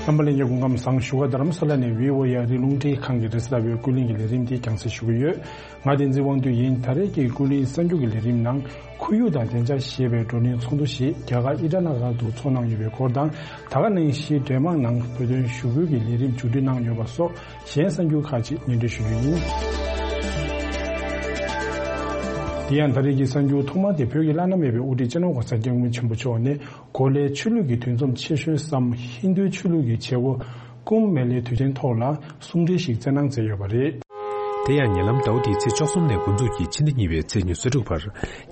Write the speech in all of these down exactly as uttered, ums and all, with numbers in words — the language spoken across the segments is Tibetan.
རྣམ་པ་ལྷན་རྒྱས་སྐུ་ཁམས་བཟང་། བཞུགས་སྒར་རྡ་རམ་ས་ལ་ནས་བྷི་ཨོ་ཨེ་ཨ་རིའི་རླུང་འཕྲིན་ཁང་གི་རེས་གཟའ་ཟླ་བའི་ཀུན་གླེང་གི་ལས་རིམ་འདི་རྒྱང་སྲིང་ཞུ་གི་ཡོད། ང་བསྟན་འཛིན་དབང་འདུས་ཡིན། ད་རེས་ཀྱི་ཀུན་གླེང་གསར་འགྱུར་གྱི་ལས་རིམ་ནང་ཁོར་ཡུག་དང་བདེ་འཇགས་ཞེས་པའི་བགྲོ་གླེང་ཚོགས་འདུ་ཞིག་རྒྱ་གར་ཨི་ཊ་ན་གར་དུ་ཚོགས་གནང་ཡོད་པའི་སྐོར་དང་། ད་ག་ནང་བཞིན་འབྲེལ་མང་ནང་བོད་དོན་ཞུ་སྐུལ་གྱི་ལས་རིམ་མཇུག་སྒྲིལ་གནང་ཡོད་པ་སོགས་གཞན་གསར་འགྱུར་ཁག་ཅིག་སྙན་སྒྲོན་ཞུ་རྒྱུ་ཡིན། དེ་ཡང་ད་རེས་ཀྱི་གསར་འགྱུར་ཐོག་མ་དེ་བོད་ཀྱི་བླ་ན་མེད་པའི་དབུ་ཁྲིད་སྤྱི་ནོར་༸གོང་ས་༸སྐྱབས་མགོན་ཆེན་པོ་མཆོག་ནས། གོ་ལའི་ཆོས་ལུགས་ཀྱི་འདུ་འཛོམས་ཆེ་ཤོས་སམ་ཧིན་རྡུའི་ཆོས་ལུགས་ཀྱི་བྱེད་སྒོ་ཀུམ་མེ་ལའི་དུས་ཆེན་ཐོག་ལ་གསུང་འཕྲིན་ཞིག་བསྩལ་གནང་མཛད་ཡོད་པ་རེད། དེ་ཡང་ཉེ་ལམ་ཟླ་བ་འདིའི་ཚེས་བཅུ་གསུམ་ནས་འགོ་འཛུགས་ཀྱིས་ཕྱི་ཟླ་གཉིས་པའི་ཚེས་ཉི་ཤུ་རྩ་དྲུག་བར་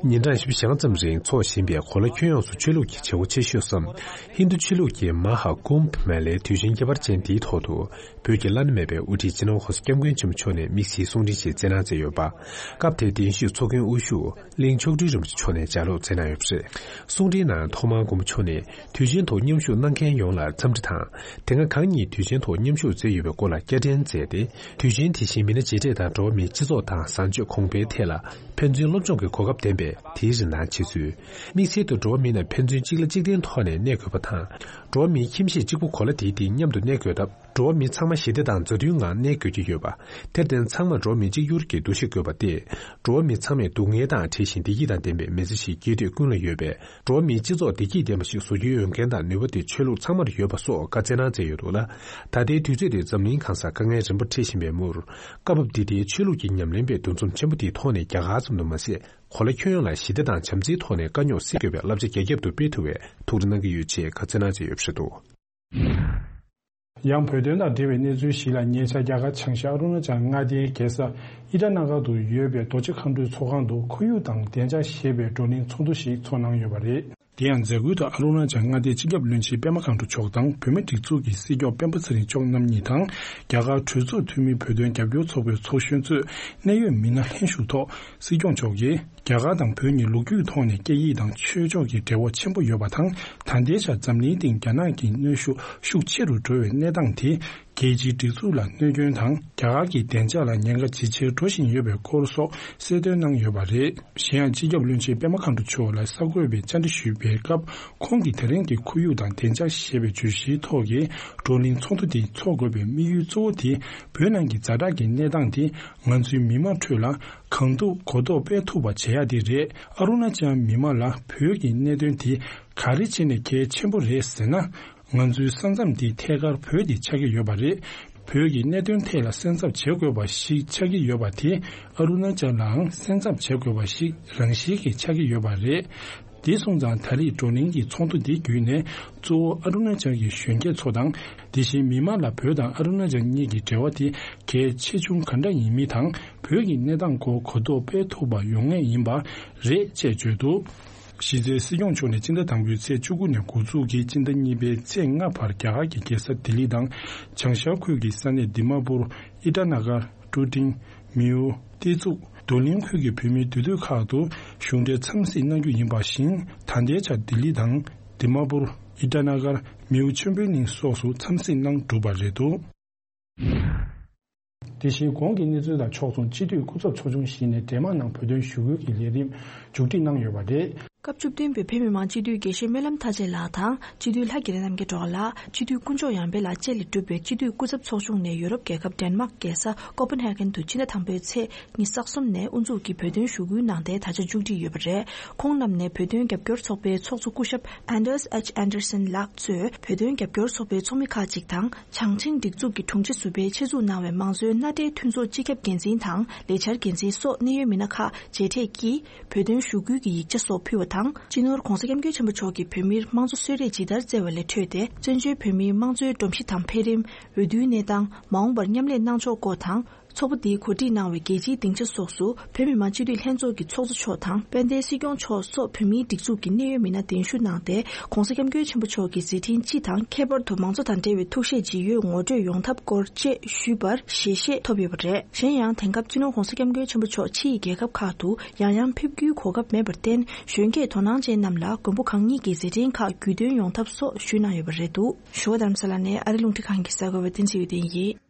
ཉིན་གྲངས་བཞི་བཅུ་ཞེ་ལྔ་ཙམ་རིང་འཚོགས་བཞིན་པའི་གོ་ལ་ཁྱོན་ཡོངས་སུ་ཆོས་ལུགས་ཀྱི་བྱེད་སྒོ་ཆེ་ཤོས་སམ་ཧིན་རྡུ་ཆོས་ལུགས་ཀྱི་མ་ཧཱ་ཀུམ་མེ་ལའི་དུས་ཆེན་ཁྱད་པར་ཅན་འདིའི་ཐོག་ཏུ་བོད་ཀྱི་བླ་ན་མེད་པའི་དབུ་ཁྲིད་སྤྱི་ནོར་༸གོང་ས་༸སྐྱབས་མགོན་ཆེན་པོ་མཆོག་ནས་དམིགས་བསལ་གསུང་འཕྲིན་ཞིག་བསྩལ་གནང་མཛད་ཡོད་པ། སྐབས་དེའི་གདན་ཞུས་ཚོགས་མགོན་དབུ་བཞུགས་གླིང་མཆོག་སྤྲུལ་རིན་པོ་ཆེ་མཆོག་ནས་ལྗགས་ཀློག་མཛད་གནང་ཡོད་པ་རེད། གསུང་འཕྲིན་ནང་ཐོག་མར་མགོན་པོ་མཆོག་ནས་དུས་ཆེན་ཐོག་མཉམ་ཞུགས་གནང་མཁན་ཡོངས་ལ་འཚམས་འདྲི་དང་། དེ་སྔ་གང་ཉིད་དུས་ཆེན་ཐོག་མཉམ་ཞུགས་མཛད་ཡོད་པའི་སྐོར་ལ་བསྐྱར་དྲན་མཛད་དེ། དུས་ཆེན་དེ་བཞིན་མི་སྣ་མཇལ་འཕྲད་དང་འགྲོ་བ་མིའི་སྤྱི་ཚོགས་དང་བཟང་སྤྱོད་གོང་འཕེལ་ཐད་ལ་ཕན་ཚུན་སློབ་སྦྱོང་གི་གོ་སྐབས་ལྡན་པས་དེའི་རིན་ཐང་ཆེ་ཚུལ། དམིགས་བསལ་དུ་འགྲོ་བ་མི་རྣམས་ཕན་ཚུན་གཅིག་ལ་གཅིག་བརྟེན་ཐོག་ནས་གནས་དགོས་པ་དང་། འགྲོ་བ་མིའི་ཁྱིམ་གཞིས་གཅིག་པུ་གོ་ལ་དེའི་སྟེང་མཉམ་དུ་གནས་དགོས་སྟབས། འགྲོ་བ་མི་ཚང་མ་ཞི་བདེ་དང་མཛའ་མཐུན་ངང་གནས་དགོས་ཀྱི་ཡོད་པ། དེར་བརྟེན་ཚང་མ་འགྲོ་བ་མི་གཅིག་གྱུར་གྱི་འདུ་ཤེས་དགོས་པ་སྟེ། འགྲོ་བ་མི་ཚང་མས་སྡུག་བསྔལ་དང་བྲལ་ཞིང་བདེ་སྐྱིད་དང་ལྡན་པའི་མི་ཚེ་ཞིག་སྐྱེལ་འདོད་ཀུན་ལ་ཡོད་པས། འགྲོ་བ་མིའི་སྤྱི་ཚོགས་བདེ་སྐྱིད་ལྡན་པ་ཞིག་བཟོ་རྒྱུའི་འོས་འགན་དང་ནུས་པ་དེ་ཆོས་ལུགས་ཚང་མར་ཡོད་པ་སོགས་བཀའ་སྩལ་གནང་མཛད་ཡོད་འདུག་ལ། ད་ལྟའི་དུས་ཚོད་དེ་འཛམ་གླིང་གང་སར་དཀའ་ངལ་རིམ་པ་འཕྲད་བཞིན་པའི་མུར། སྐབས་བབ་འདི་ལྟའི་ཆོས་ལུགས་ཀྱི་ཉམས་ལེན་པའི་འདུ་འཛོམས་ཆེན་པོ་འདིའི་ཐོག་ནས་རྒྱ་གར་ཙམ་དུ་མ་ཟད། གོ་ལ་ཁྱོན་ཡོངས་ལ་ཞི་བདེ་དང་བྱམས་བརྩེའི་ཐོག་ནས་དཀའ་རྙོག་སེལ་དགོས་པའི་བསླབ་བྱ་རྒྱ་ཁྱབ་ཏུ་སྤེལ་ཐུབ་པའི་ཐུགས་རེ་གནང་གི་ཡོད་ཅེས་བཀའ་སྩལ་གནང་མཛད་ཡོད་པ་རེད་འདུག། ཡང་བོད་དོན་དང་འབྲེལ་བའི་གནས་ཚུལ་ཞིག་ལ། ཉེ་ཆར་རྒྱ་གར་བྱང་ཤར་ཨ་རུ་ན་ཅལ་མངའ་སྡེའི་རྒྱལ་ས་ཨི་ཊ་ན་གར་དུ་ཡོད་པའི་རྡོ་རྗེ་མཁའ་འགྲོའི་ཚོགས་ཁང་དུ་ཁོར་ཡུག་དང་བདེ་འཇགས་ཞེས་པའི་བགྲོ་གླེང་ཚོགས་འདུ་ཞིག་ཚོགས་གནང་ཡོད་པ་རེད། དེ་ཡང་མཛད་སྒོའི་ཐོག་ཨ་རུ་ན་ཅལ་མངའ་སྡེའི་སྤྱི་ཁྱབ་བློན་ཆེན་པད་མ་མཁའ་འགྲོ་མཆོག་དང་། བོད་མིའི་སྒྲིག་འཛུགས་ཀྱི་སྲིད་སྐྱོང་སྤེན་པ་ཚེ་རིང་མཆོག་རྣམ་གཉིས་དང་། རྒྱ་གར་གྲོས་ཚོགས་འཐུས་མིའི་བོད་དོན་རྒྱབ་སྐྱོར་ཚོགས་པའི་ཚོགས་གཞོན་གཙོས་གནད་ཡོད་མི་སྣ་ལྷན་ཞུགས་ཐོག། སྲིད་སྐྱོང་མཆོག་གིས། རྒྱ་གར་དང་བོད་གཉིས་ལོ་རྒྱུས་ཐོག་ནས་སྐད་ཡིག་དང་ཆོས་ཕྱོགས་ཀྱི་འབྲེལ་བ་ཆེན་པོ་ཡོད་པ་དང་། ད་ལྟའི་ཆར་འཛམ་གླིང་སྟེང་རྒྱ་ནག་གི་གནོན་ཤུགས་ཤུགས་ཆེ་རུ་འགྲོ་བའི་གནས་སྟངས་དེ། རྒྱལ་སྤྱིའི་སྒྲིག་འཛུགས་ལ་གནོད་སྐྱོན་དང་། རྒྱ་གར་གྱི་བདེ་འཇགས་ལ་ཉེན་ཁ་ཇེ་ཆེར་འགྲོ་བཞིན་ཡོད་པའི་སྐོར་སོགས་གསལ་སྟོན་གནང་ཡོད་པ་རེད། གཞན་ཡང་། སྤྱི་ཁྱབ་བློན་ཆེན་པད་མ་མཁའ་འགྲོ་མཆོག་ལ་གསར་འགོད་པས་བཅར་འདྲི་ཞུས་པའི་སྐབས། ཁོང་གིས་དེ་རིང་གི་ཁོར་ཡུག་དང་བདེ་འཇགས་ཞེས་པའི་བརྗོད་གཞིའི་ཐོག་གི་བགྲོ་གླེང་ཚོགས་འདུ་དེ་འཚོགས་དགོས་པའི་དམིགས་ཡུལ་གཙོ་བོ་དེ། བོད་ནང་གི་ཛ་དྲག་གི་གནས་སྟངས་དེ། ང་ཚོའི་མི་མང་ཁྲོད་ལ་གང་ཐུབ་གོ་རྟོགས་སྤེལ་ཐུབ་པ་བྱེད་ཡ་དེ་རེད། ཨ་རུ་ན་ཅལ་མི་མང་ལ་བོད་ཀྱི་གནད་དོན་དེ་ག་རེ་བྱས་ནས་གལ་ཆེན་པོ་རེད་ཟེར་ན། ང་ཚོའི་ས་མཚམས་དེ་ཐད་ཀར་བོད་དེ་ཆགས་ཀྱི་ཡོད་པ་རེད། བོད་ཀྱི་གནད་དོན་ཐད་ལ་སེམས་འཚབ་བྱེད་དགོས་པ་ཞིག་ཆགས་ཀྱི་ཡོད་པ་དེ། ཨ་རུ་ན་ཅལ་ལའང་སེམས་འཚབ་བྱེད་དགོས་པ་ཞིག་རང་བཞིན་གྱིས་ཆགས་ཀྱི་ཡོད་པ་རེད། དེ་སོང་ཙང་། ད་རེས་བགྲོ་གླེང་གི་ཚོགས་འདུ་འདི་བརྒྱུད་ནས། གཙོ་བོ་ཨ་རུ་ན་ཅལ་གྱི་གཞོན་སྐྱེས་ཚོ་དང་། དེ་བཞིན་མི་མང་ལ་བོད་དང་ཨ་རུ་ན་ཅལ་གཉིས་ཀྱི་འབྲེལ་བ་དེ་གལ་ཆེ་ཆུང་ག་འདྲ་ཡིན་མིན་དང་། བོད་ཀྱི་གནས་སྟངས་སྐོར་གོ་རྟོགས་སྤེལ་ཐུབ་པ་ཡོང་ངེས་ཡིན་པ་རེད་ཅེས་བརྗོད་འདུག། གཞི་རྩའི་སྲིད་སྐྱོང་མཆོག་ནས་སྤྱི་ཟླ་དང་པོའི་ཚེས་བཅུ་དགུ་ནས་འགོ་འཛུགས་ཀྱིས་སྤྱི་ཟླ་གཉིས་པའི་ཚེས་ལྔ་བར་རྒྱ་གར་གྱི་རྒྱལ་ས་ལྡི་ལི་དང་། བྱང་ཤར་ཁུལ་གྱི་ས་གནས་དི་མ་པུར། ཨི་ཊ་ན་གར། ཀྲུ་ཀྲིང་། མེའོ། ཏེ་ཙུག། རྡོར་གླིང་ཁུལ་གྱི་བོད་མིའི་འདུས་སྡོད་ཁག་ཏུ་གཞུང་འབྲེལ་འཚམས་གཟིགས་གནང་རྒྱུ་ཡིན་པ་བཞིན། ད་ལྟའི་ཆར་ལྡི་ལི་དང་། དི་མ་པུར། ཨི་ཊ་ན་གར། མེའོ་ཆོས་འཕེལ་གླིང་སོགས་སུ་འཚམས་གཟིགས་གནང་གྲུབ་པ་རེད་འདུག། དེ་བཞིན་གོང་གི་གནས་ཚུལ་དང་ཕྱོགས་མཚུངས། སྤྱི་འཐུས་སྐུ་ཚབ་ཚོགས་ཆུང་ཞིག་ནས་འབྲེལ་མང་ནང་བོད་དོན་ཞུ་སྐུལ་གྱི་ལས་རིམ་མཇུག་སྒྲིལ་གནང་ཡོད་པ་རེད། སྐབས་བཅུ་བདུན་པའི་བོད་མི་མང་སྤྱི་འཐུས་དགེ་བཤེས་སྨོན་ལམ་མཐའ་རྒྱས་ལགས་དང་། སྤྱི་འཐུས་ལྷ་དགེ་ལེགས་རྣམ་རྒྱལ་སྒྲོལ་དཀར་ལགས། སྤྱི་འཐུས་དཀོན་མཆོག་ཡར་འཕེལ་ལགས་བཅས་ལས་གྲུབ་པའི་སྤྱི་འཐུས་སྐུ་ཚབ་ཚོགས་ཆུང་ནས་ཡོ་རོབ་རྒྱལ་ཁབ་ཌེན་མཱག་རྒྱལ་ས་ཀོ་པན་ཧེ་གྷན་དུ་ཕྱི་ཟླ་དང་པོའི་ཚེས་ཉི་ཤུ་རྩ་གསུམ་ནས་དབུ་འཛུགས་ཀྱིས་བོད་དོན་ཞུ་སྐུལ་གནང་སྟེ་ད་ཆ་མཇུག་སྒྲིལ་ཡོད་པ་རེད། ཁོང་རྣམས་ནས་བོད་དོན་རྒྱབ་སྐྱོར་ཚོགས་པའི་ཚོགས་གཙོ་སྐུ་ཞབས་Anders H Andersen་ལགས་གཙོས་བོད་དོན་རྒྱབ་སྐྱོར་ཚོགས་པའི་ཚོགས་མི་ཁག་ཅིག་དང་། བྱང་ཆིངས་སྒྲིག་འཛུགས་ཀྱི་དྲུང་ཆེ་ཟུར་པས་ཆེད་འཛུགས་གནང་བའི་མང་གཙོའི་མནའ་འབྲེལ་མཐུན་ཚོགས་སྤྱི་ཁྱབ་འགན་འཛིན་དང་ལས་འཆར་འགན་འཛིན་སོགས་གནད་ཡོད་མི་སྣ་ཁག་མཇལ་འཕྲད་ཀྱིས། བོད་དོན་ཞུ་སྐུལ་གྱི་ཡིག་ཆ་སོགས་ཕུལ་བ་དང་། སྤྱི་ནོར་༸གོང་ས་༸སྐྱབས་མགོན་ཆེན་པོ་མཆོག་གིས་བོད་མིར་དམངས་གཙོ་གསོལ་རས་ཇི་ལྟར་བསྩལ་བ་ལས་འཕྲོས་ཏེ། བཙན་བྱོལ་བོད་མིའི་དམངས་གཙོའི་སྒྲོམ་གཞི་དང་འཕེལ་རིམ། འོས་བསྡུའི་གནས་སྟངས། མ་འོངས་པར་མཉམ་ལས་གནང་ཕྱོགས་སྐོར་དང་། ཚོགས་པ་འདིས་གོ་སྒྲིག་གནང་བའི་རྒྱལ་སྤྱིའི་སྡིངས་ཆ་སོགས་སུ། བོད་མི་མང་སྤྱི་འཐུས་ལྷན་ཚོགས་ཀྱི་ཚོགས་གཙོ་མཆོག་དང་། དཔལ་ལྡན་སྲིད་སྐྱོང་མཆོག་སོགས་བོད་མིའི་སྒྲིག་འཛུགས་ཀྱི་གནད་ཡོད་མི་སྣ་གདན་ཞུ་གནང་སྟེ། ༸གོང་ས་༸སྐྱབས་མགོན་ཆེན་པོ་མཆོག་གི་མཛད་འཕྲིན་སྤྱི་དང་། ཁྱད་པར་དུ་མང་གཙོ་དང་འབྲེལ་བའི་ཐུགས་བཞེད་ཇི་ཡོད་ངོ་སྤྲོད་ཡོང་ཐབས་སྐོར་བཅས་ཞུས་པར་ཞལ་བཞེས་ཐོབ་ཡོད་པ་རེད། གཞན་ཡང་། དེང་སྐབས་སྤྱི་ནོར་༸གོང་ས་༸སྐྱབས་མགོན་ཆེན་པོ་མཆོག་ཕྱི་ཡི་རྒྱལ་ཁབ་ཁག་ཏུ་ཡང་ཡང་ཕེབས་རྒྱུའི་གོ་སྐབས་མེད་པར་བརྟེན། གཞོན་སྐྱེས་དོ་སྣང་ཅན་རྣམས་ལ་མགོན་པོ་གང་ཉིད་ཀྱི་མཛད་འཕྲིན་ཁག་རྒྱུས་སྟོན་ཡོང་ཐབས་སོགས་ཞུས་གནང་ཡོད་པ་རེད་འདུག། བཞུགས་སྒར་རྡ་རམ་ས་ལ་ནས་ཨ་རི་རླུང་འཕྲིན་ཁང་གི་གསར་འགོད་པ་བསྟན་འཛིན་འོད་ལྡན་ཡིན།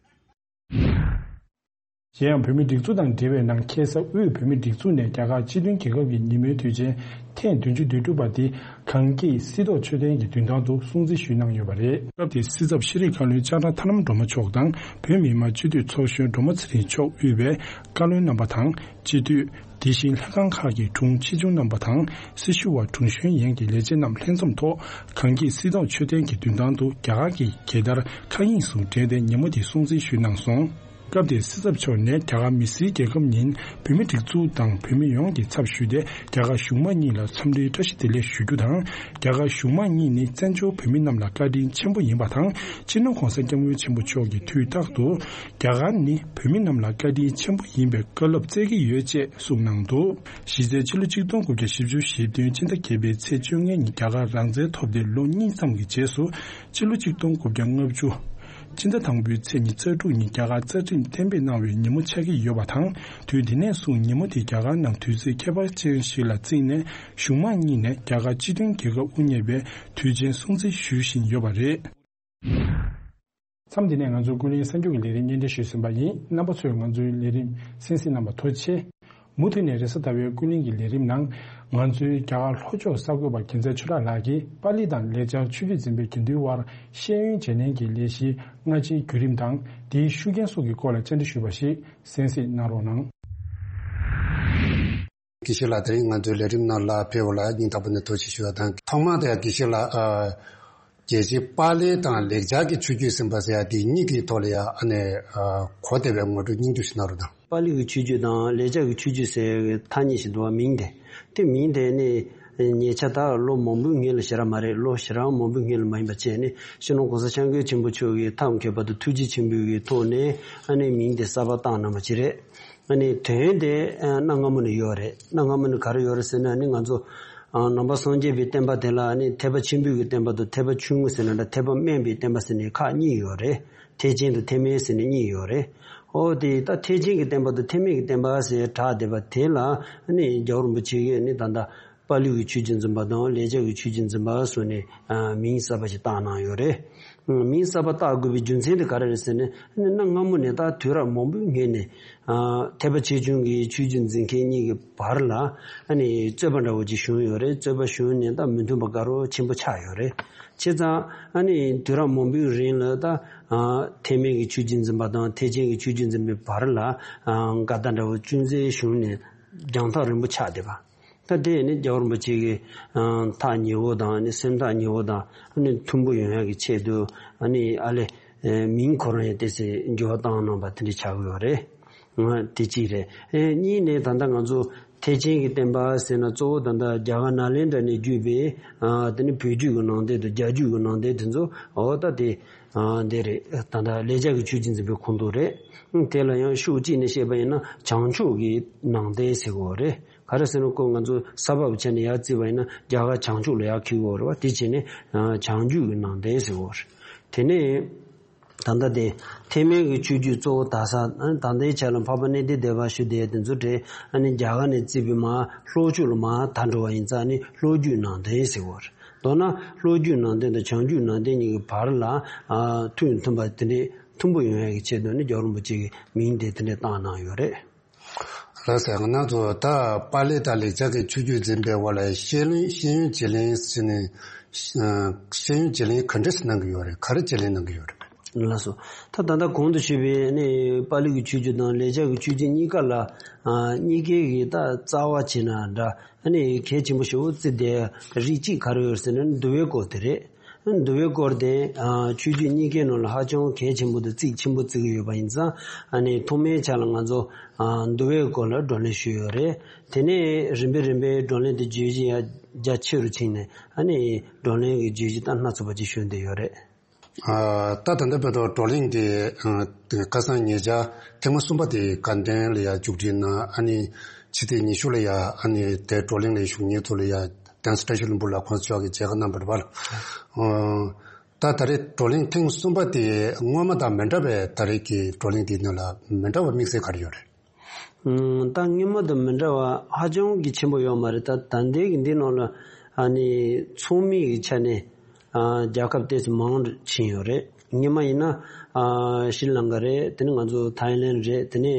གཞན་ཡང་བོད་མིའི་སྒྲིག་འཛུགས་དང་འབྲེལ་བའི་ནང་ཁ་ས་དབུས་བོད་མིའི་སྒྲིག་འཛུགས་ནས་རྒྱ་གར་སྤྱི་མཐུན་རྒྱལ་ཁབ་ཀྱི་ཉིན་མོའི་དུས་ཆེན་ཐེངས་བདུན་ཅུ་དོན་དྲུག་པ་འདི་གངས་སྐྱིད་སྲིད་ཐོག་མཆོད་རྟེན་གྱི་མདུན་ཐང་དུ་སྲུང་བརྩི་ཞུས་གནང་ཡོད་པ་རེད། སྐབས་དེའི་སྲིད་ཚབ་ཤེས་རིག་བཀའ་བློན་ལྕགས་སྒྲོག་ཐར་ལམ་སྒྲོལ་མ་མཆོག་དང་བོད་མི་མང་སྤྱི་འཐུས་ཚོགས་གཞོན་སྒྲོལ་མ་ཚེ་རིང་མཆོག་དབུས་པའི་བཀའ་བློན་རྣམ་པ་དང་སྤྱི་འཐུས། དེ་བཞིན་ལྷན་ཁང་ཁག་གི་དྲུང་ཆེ་ཆུང་རྣམ་པ་དང་སྲི་ཞུ་བ་དྲུང་གཞོན་ཡན་གྱི་ལས་བྱེད་རྣམས་ལྷན་འཛོམས་ཐོག་གངས་སྐྱིད་སྲིད་ཐོག་མཆོད་རྟེན་གྱི་མདུན་ཐང་དུ་རྒྱ་གར་གྱི་རྒྱལ་དར་མཁའ་དབྱིངས་སུ་བསྒྲེངས་ཏེ་ཉིན་མོ་དེ་སྲུང་བརྩི་ཞུས་གནང་སོང་། སྐབས་དེར་སྲིད་ཚབ་མཆོག་ནས་རྒྱ་གར་མི་སེར་རྒྱལ་ཁབ་ཉིན་བོད་མི་སྒྲིག་འཛུགས་དང་བོད་མི་ཡོངས་ཀྱི་ཚབ་ཞུས་ཏེ་རྒྱ་གར་གཞུང་མང་གཉིས་ལ་འཚམས་འདྲིའི་བཀྲ་ཤིས་བདེ་ལེགས་ཞུ་རྒྱུ་དང་། རྒྱ་གར་གཞུང་མང་གཉིས་ནི་བཙན་བྱོལ་བོད་མི་རྣམས་ལ་བཀའ་དྲིན་ཆེན་པོ་ཡིན་པ་དང་། སྤྱི་ནོར་༧གོང་ས་༧སྐྱབས་མགོན་ཆེན་པོ་མཆོག་གིས་དུས་རྟག་ཏུ་རྒྱ་གར་ནི་བོད་མི་རྣམས་ལ་བཀའ་དྲིན་ཆེན་པོ་ཡིན་པའི་བཀའ་སློབ་སྩལ་གྱི་ཡོད་ཅེས་གསུངས་གནང་འདུག་གཞི་རྩའི་ཕྱི་ལོ་ཆིག་སྟོང་དགུ་བརྒྱ་བཞི་བཅུ་ཞེ་བདུན་སྤྱི་ཟླ་བརྒྱད་པའི་ཚེས་བཅོ་ལྔ་ཉིན་རྒྱ་གར་རང་བཙན་ཐོབ་སྟེ་ལོ་གཉིས་ཙམ་གྱི་རྗེས་སུ་ཕྱི་ལོ་ཆིག་སྟོང་དགུ་བརྒྱ་ལྔ་བཅུ་སྤྱི་ཟླ་དང་པོའི་ཚེས་ཉི་ཤུ་རྩ་དྲུག་ཉིན་རྒྱ་གར་རྩ་ཁྲིམས་གཏན་འབེབས་གནང་བའི་ཉིན་མོ་ཆགས་ཀྱི་ཡོད་པ་དང་། དུས་དེ་ནས་བཟུང་ཉིན་མོ་དེ་རྒྱ་གར་ནང་དུས་ཚོད་ཁྱད་པར་ཅན་ཞིག་ལ་བརྩིས་ནས་གཞུང་མང་གཉིས་ནས་རྒྱ་གར་སྤྱི་མཐུན་རྒྱལ་ཁབ་དབུ་བརྙེས་པའི་དུས་ཆེན་སྲུང་བརྩི་ཞུ་བཞིན་ཡོད་པ་རེད། མཚམས་འདི་ནས་ང་ཚོའི་ཀུན་གླེང་གསར་འགྱུར་གྱི་ལས་རིམ་སྙན་སྒྲོན་ཞུས་ཟིན་པ་ཡིན། རྣམ་པ་ཚོས་ང་ཚོའི་ལས་རིམ་གསན་གཟིགས་གནང་བར་ཐུགས་རྗེ་ཆེ། མུ་མཐུད་ནས་རེས་གཟའ་ཟླ་བའི་ཀུན་གླེང་གི་ལས་རིམ་ནང་ང་ཚོའི་རྒྱ་གར་ལྷོ་ཕྱོགས་གསར་འགོད་པ་རྒྱལ་མཚན་ཆོས་གྲགས་ལགས་ཀྱིས་པཱ་ལི་དང་ལེགས་སྦྱར་ཆོས་བརྒྱུད་འཛིན་པའི་དགེ་འདུན་དབར་ཤེས་ཡོན་བརྗེ་ལེན་གྱི་ལས་གཞིའི་སྔ་ཕྱིའི་བརྒྱུད་རིམ་དང་དེའི་ཤུགས་རྐྱེན་སོགས་ཀྱི་སྐོར་ལ་བཅར་འདྲི་ཞུས་པ་ཞིག་གསན་གཟིགས་གནང་རོགས་གནང་། དགེ་བཤེས་ལགས། དེ་རིང་ང་ཚོའི་ལས་རིམ་ནང་ལ་ཕེབས་པ་ལ་སྙིང་ཐག་པ་ནས་ཐུགས་རྗེ་ཆེ་ཞུ་བ་དང་། ཐོག་མར་དེ་ཡང་དགེ་བཤེས་ལགས། ཨ། རྒྱལ་སྤྱིའི་པཱ་ལི་དང་ལེགས་སྦྱར་གྱི་ཆོས་བརྒྱུད་ཟེར་བ་ཟེར་ཡ་དེ་གཉིས་ཀྱི་ཐོག་ལ་ཡང་ཨ་ནི་གོ་བདེ་བའི་ངོ་སྤྲོད་སྙིང་བསྡུས་ཤིག་གནང་རོགས་གནང་། པཱ་ལི་གི་ཆོས་བརྒྱུད་དང་ལེགས་སྦྱར་གྱི་ཆོས་བརྒྱུད་ཟེར་བའི་ཐ་སྙད་ཞིག་འདུག་བ། མིང་དེ་དེ་མིང་དེ་ནི་ཉེ་ཆར་ད་ལོ་མང་པོའི་སྔོན་ལ་ཞེ་དྲག་མ་རེད། ལོ་ཞེ་དྲག་མང་པོའི་སྔོན་ལ་མ་ཡིན་པ་བྱས་ནས་སྤྱི་ནོར་༧གོང་ས་༧སྐྱབས་མགོན་ཆེན་པོ་མཆོག་གིས་ཐབས་མཁས་པ་དང་ཐུགས་རྗེ་ཆེན་པོའི་གི་ཐོག་ནས་ཨ་ནི་མིང་དེ་གསར་པ་བཏགས་གནང་བ་ཅིག་རེད། ཨ་ནི་དོན་དེ་གནའ་སྔ་མོ་ནས་ཡོད་རེད། གནའ་སྔ་མོ་ནས་ག་རེ་ཡོད་རེད་ཟེར་ན་ནི་ང་ཚོ་ནང་པ་སངས་རྒྱས་པའི་བསྟན་པ་དེ་ལ་ནི་ཐེག་པ་ཆེན་པོའི་གི་བསྟན་པ་དང་ཐེག་པ་ཆུང་ངུ་ཟེར་ན་འདྲ། ཐེག་པ་དམན་པའི་བསྟན་པ་ཟེར་ནས་ཁག་གཉིས་ཡོད་རེད། ཐེག་ཆེན་དང་ཐེག་དམན་ཟེར་ནས་གཉིས་ཡོད་རེད། ཨོ་དེ་ད་ཐེག་ཆེན་གྱི་བསྟན་པ་དང་ཐེག་དམན་གྱི་བསྟན་པ་ཟེར་གྲགས་བསྡད་པ་དེ་ལ་ནི་རྒྱལ་བ་རིན་པོ་ཆེ་གིས་ནི་ད་ལྟ་པཱ་ལི་གི་ཆོས་བརྒྱུད་འཛིན་པ་དང་ལེགས་སྦྱར་གྱི་ཆོས་བརྒྱུད་འཛིན་པ་ཟེར་ནས་མིང་གསར་པ་ཞིག་བཏགས་གནང་ཡོད་རེད། མིང་གསར་པ་བཏགས་དགོས་པའི་རྒྱུ་མཚན་དེ་ག་རེ་རེད་ཟེར་ན། ནི་གནའ་སྔ་མོ་ནས་ད་དུས་རབས་མང་པོའི་སྔོན་ནས་ཐེག་པ་ཆེ་ཆུང་གི་ཆོས་བརྒྱུད་འཛིན་མཁན་གཉིས་ཀྱི་བར་ལ་ཨ་ནི་རྩོད་པ་འདྲ་བོ་ཅིག་བྱུང་ཡོད་རེད། རྩོད་པ་བྱུང་ནས་ད་མི་མཐུན་པ་དགའ་རབ་ཆེན་པོ་ཆགས་ཡོད་རེད། བྱས་ཙང་ཨ་ནི་དུས་རབས་མང་པོའི་རིང་ལ་ད་ཐེག་དམན་གྱི་ཆོས་བརྒྱུད་འཛིན་པ་དང་ཐེག་ཆེན་གྱི་ཆོས་བརྒྱུད་འཛིན་པའི་བར་ལ་འགལ་ཟླ་འདྲ་བོ་ཅུང་ཟད་བྱུང་ནས་རྒྱང་ཐག་རིང་པོ་ཆགས་བསྡད་པ། ད་དེ་ནི་རྒྱལ་བ་རིན་པོ་ཆེ་གི་ཐག་ཉེ་བོ་དང་ནི་སེམས་ཐག་ཉེ་བོ་དང་ནི་མཐུན་པོ་ཡོང་ཡག་གི་ཆེད་དུ་ནི་ཨ་ལས་མིང་ཁོ་རང་ཡང་ཏོག་ཙམ་འགྱུར་བ་བཏང་གནང་པ་དེ་འདྲ་ཆགས་ཀྱི་ཡོད་རེད། དེ་གཅིག་རེད། གཉིས་ནས་ད་ལྟ་ང་ཚོ་ཐེག་ཆེན་གྱི་བསྟན་པ་ཟེར་ན་གཙོ་བོ་ད་ལྟ་རྒྱ་གར་ནཱ་ལེནྡྲ་ནས་བརྒྱུད་པའི་དེ་ནི་བོད་བརྒྱུད་ཀྱི་ནང་བསྟན་དང་རྒྱ་བརྒྱུད་ཀྱི་ནང་བསྟན་དེ་ཚོ་འོ་ད་དེ་འདི་རེད། ད་ལྟ་ལེགས་སྦྱར་གྱི་ཆོས་བརྒྱུད་འཛིན་པའི་ཁོངས་གཏོགས་རེད། དེ་ལ་ཡང་ཤུགས་གཅིག་ནས་བཤད་པ་ཡིན་ན་བྱང་ཕྱོགས་ཀྱི་ནང་བསྟན་ཟེར་གྱི་ཡོད་རེད། ག་རེ་ཟེར་ན་ཁོ་ང་ཚོ་ས་བབ་བྱས་ནས་ཡར་བརྩིས་པ་ཡིན་ན་རྒྱ་གར་བྱང་ཕྱོགས་ལ་ཡར་འཁེལ་གྱི་ཡོད་རེད་བ། དེ་བྱས་ནས་བྱང་རྒྱུད་ཀྱི་ནང་བསྟན་ཟེར་གྱི་ཡོད་རེད། དེ་ནས་ད་ལྟ་དེ་ཐེག་དམན་གྱི་ཆོས་བརྒྱུད་གཙོ་བོ་དར་ས་ད་ལྟའི་ཆ་ལ་འཕགས་པ་གནས་བརྟན་སྡེ་པ་ཞུ་བསྡད་དེ་ཚོ་གྲས་ཨ་ནི་རྒྱ་གར་ནས་བརྩིས་པའི་མར་ལྷོ་ཕྱོགས་ལ་མར་དར་འགྲོ་བ་ཡིན་ཙང་ནི་ལྷོ་བརྒྱུད་ནང་བསྟན་ཟེར་གྱི་ཡོད་རེད། མདོར་ན་ལྷོ་བརྒྱུད་ནང་བསྟན་དང་བྱང་བརྒྱུད་ནང་བསྟན་གཉིས་ཀྱི་བར་ལ་ཨ་མཐུན་མཐུན་པ་དེ་འདྲས་མཐུན་པོ་ཡོང་ཡག་གི་ཆེད་དུ་ནི་རྒྱལ་བ་རིན་པོ་ཆེ་གིས་མིང་དེ་དེ་འདྲས་བཏགས་གནང་ཡོད་རེད། ལགས་སོ། ང་ཚོ་ད་པཱ་ལི་དང་ལེགས་སྦྱར་གྱི་ཆོས་བརྒྱུད་འཛིན་པའི་དབར་ལ་ཤེས་ཡོན་ཤེས་ཡོན་བརྗེ་ལེན་ཟེར་ནས་ཤེས་ཡོན་བརྗེ་ལེན་ག་འདྲས་གནང་གི་ཡོད་རེད། ག་རེ་བརྗེ་ལེན་གནང་གི་ཡོད་རེད། ལགས་སོ། ད་ད་ལྟ་གོང་དུ་ཞུས་པའི་ནི་པཱ་ལི་གི་ཆོས་བརྒྱུད་དང་ལེགས་སྦྱར་གྱི་ཆོས་བརྒྱུད་གཉིས་ཀ་ལ་ཨ་གཉིས་ཀའི་གི་ད་རྩ་བ་བྱས་ན་འདྲ། ཨ་ནི་གལ་ཆེན་པོ་ཞེ་པོ་བརྩི་བསྡད་རིགས་གཅིག་ག་རེ་ཡོད་ཟེར་ན་འདུལ་བའི་སྐོར་དེ་རེད། འདུལ་བའི་སྐོར་དེ་ཨ་ཆོས་བརྒྱུད་གཉིས་ཀའི་ནང་ལ་ཧ་ཅང་གལ་ཆེན་པོ་དང་རྩིས་ཆེན་པོ་བརྩི་གི་ཡོད་པ་ཡིན་ཙང་ཨ་ནི་ཐོག་མའི་ཆ་ལ་ང་ཚོ་ཨ་འདུལ་བའི་སྐོར་ལ་བགྲོ་གླེང་ཞུས་ཡོད་རེད། དེ་ནས་རིམ་པས་རིམ་པས་བགྲོ་གླེང་དེ་བརྗོད་གཞི་ཡང་རྒྱ་ཆེ་རུ་ཕྱིན་ནས་ཨ་ནི་བགྲོ་གླེང་གི་བརྗོད་གཞི་ད་སྣ་ཚོགས་པ་ཅིག་ཞུ་འདོད་ཡོད་རེད། ཨ་ད་ད་ལྟ་བར་དུ་བགྲོ་གླེང་དེ་ཨ་ཁ་སང་ཉེ་ཆར་ཐེངས་མ་གསུམ་པ་དེ་དགའ་ལྡན་ལ་ཡང་མཇུག་སྒྲིལ་གནང་། ཨ་ནི་ཕྱི་ཚེས་ཉི་ཤུ་ལ་ཡང་ཨ་ནི་དེ་བགྲོ་གླེང་ལ་ཞུགས་མཁན་ཚོ་ལ་ཡང་གདན་ས་བཀྲ་ཤིས་ལྷུན་པོ་ལ་ཁོང་མཆོག་གིས་མཇལ་ཁ་གནང་བ་རེད་པ། ཨ་ད་ད་རེས་བགྲོ་གླེང་ཐེངས་གསུམ་པ་དེ་སྔོན་མ་དང་མི་འདྲ་བའི་ད་རེས་ཀྱི་བགྲོ་གླེང་དེའི་ནང་ལ་མི་འདྲ་བ་དམིགས་བསལ་ག་རེ་ཡོད་རེད། ཨང་། ད་སྔོན་མ་དང་མི་འདྲ་བ་ཧ་ཅང་གི་ཆེན་པོ་ཡོད་མ་རེད། ད་ད་ལྟའི་གི་འདི་ནང་ལ་ཨ་ནི་ཚོགས་མི་གི་ཆ་ནས་ཨ་རྒྱལ་ཁབ་ཏོག་ཙམ་མང་རུ་ཕྱིན་ཡོད་རེད། སྔོན་མ་ཡིན་ན་ཨ་ཤྲི་ལང་ཀ་རེད། དེ་ནས་ང་ཚོ་ཐའི་ལེན་རེད། དེ་ནས་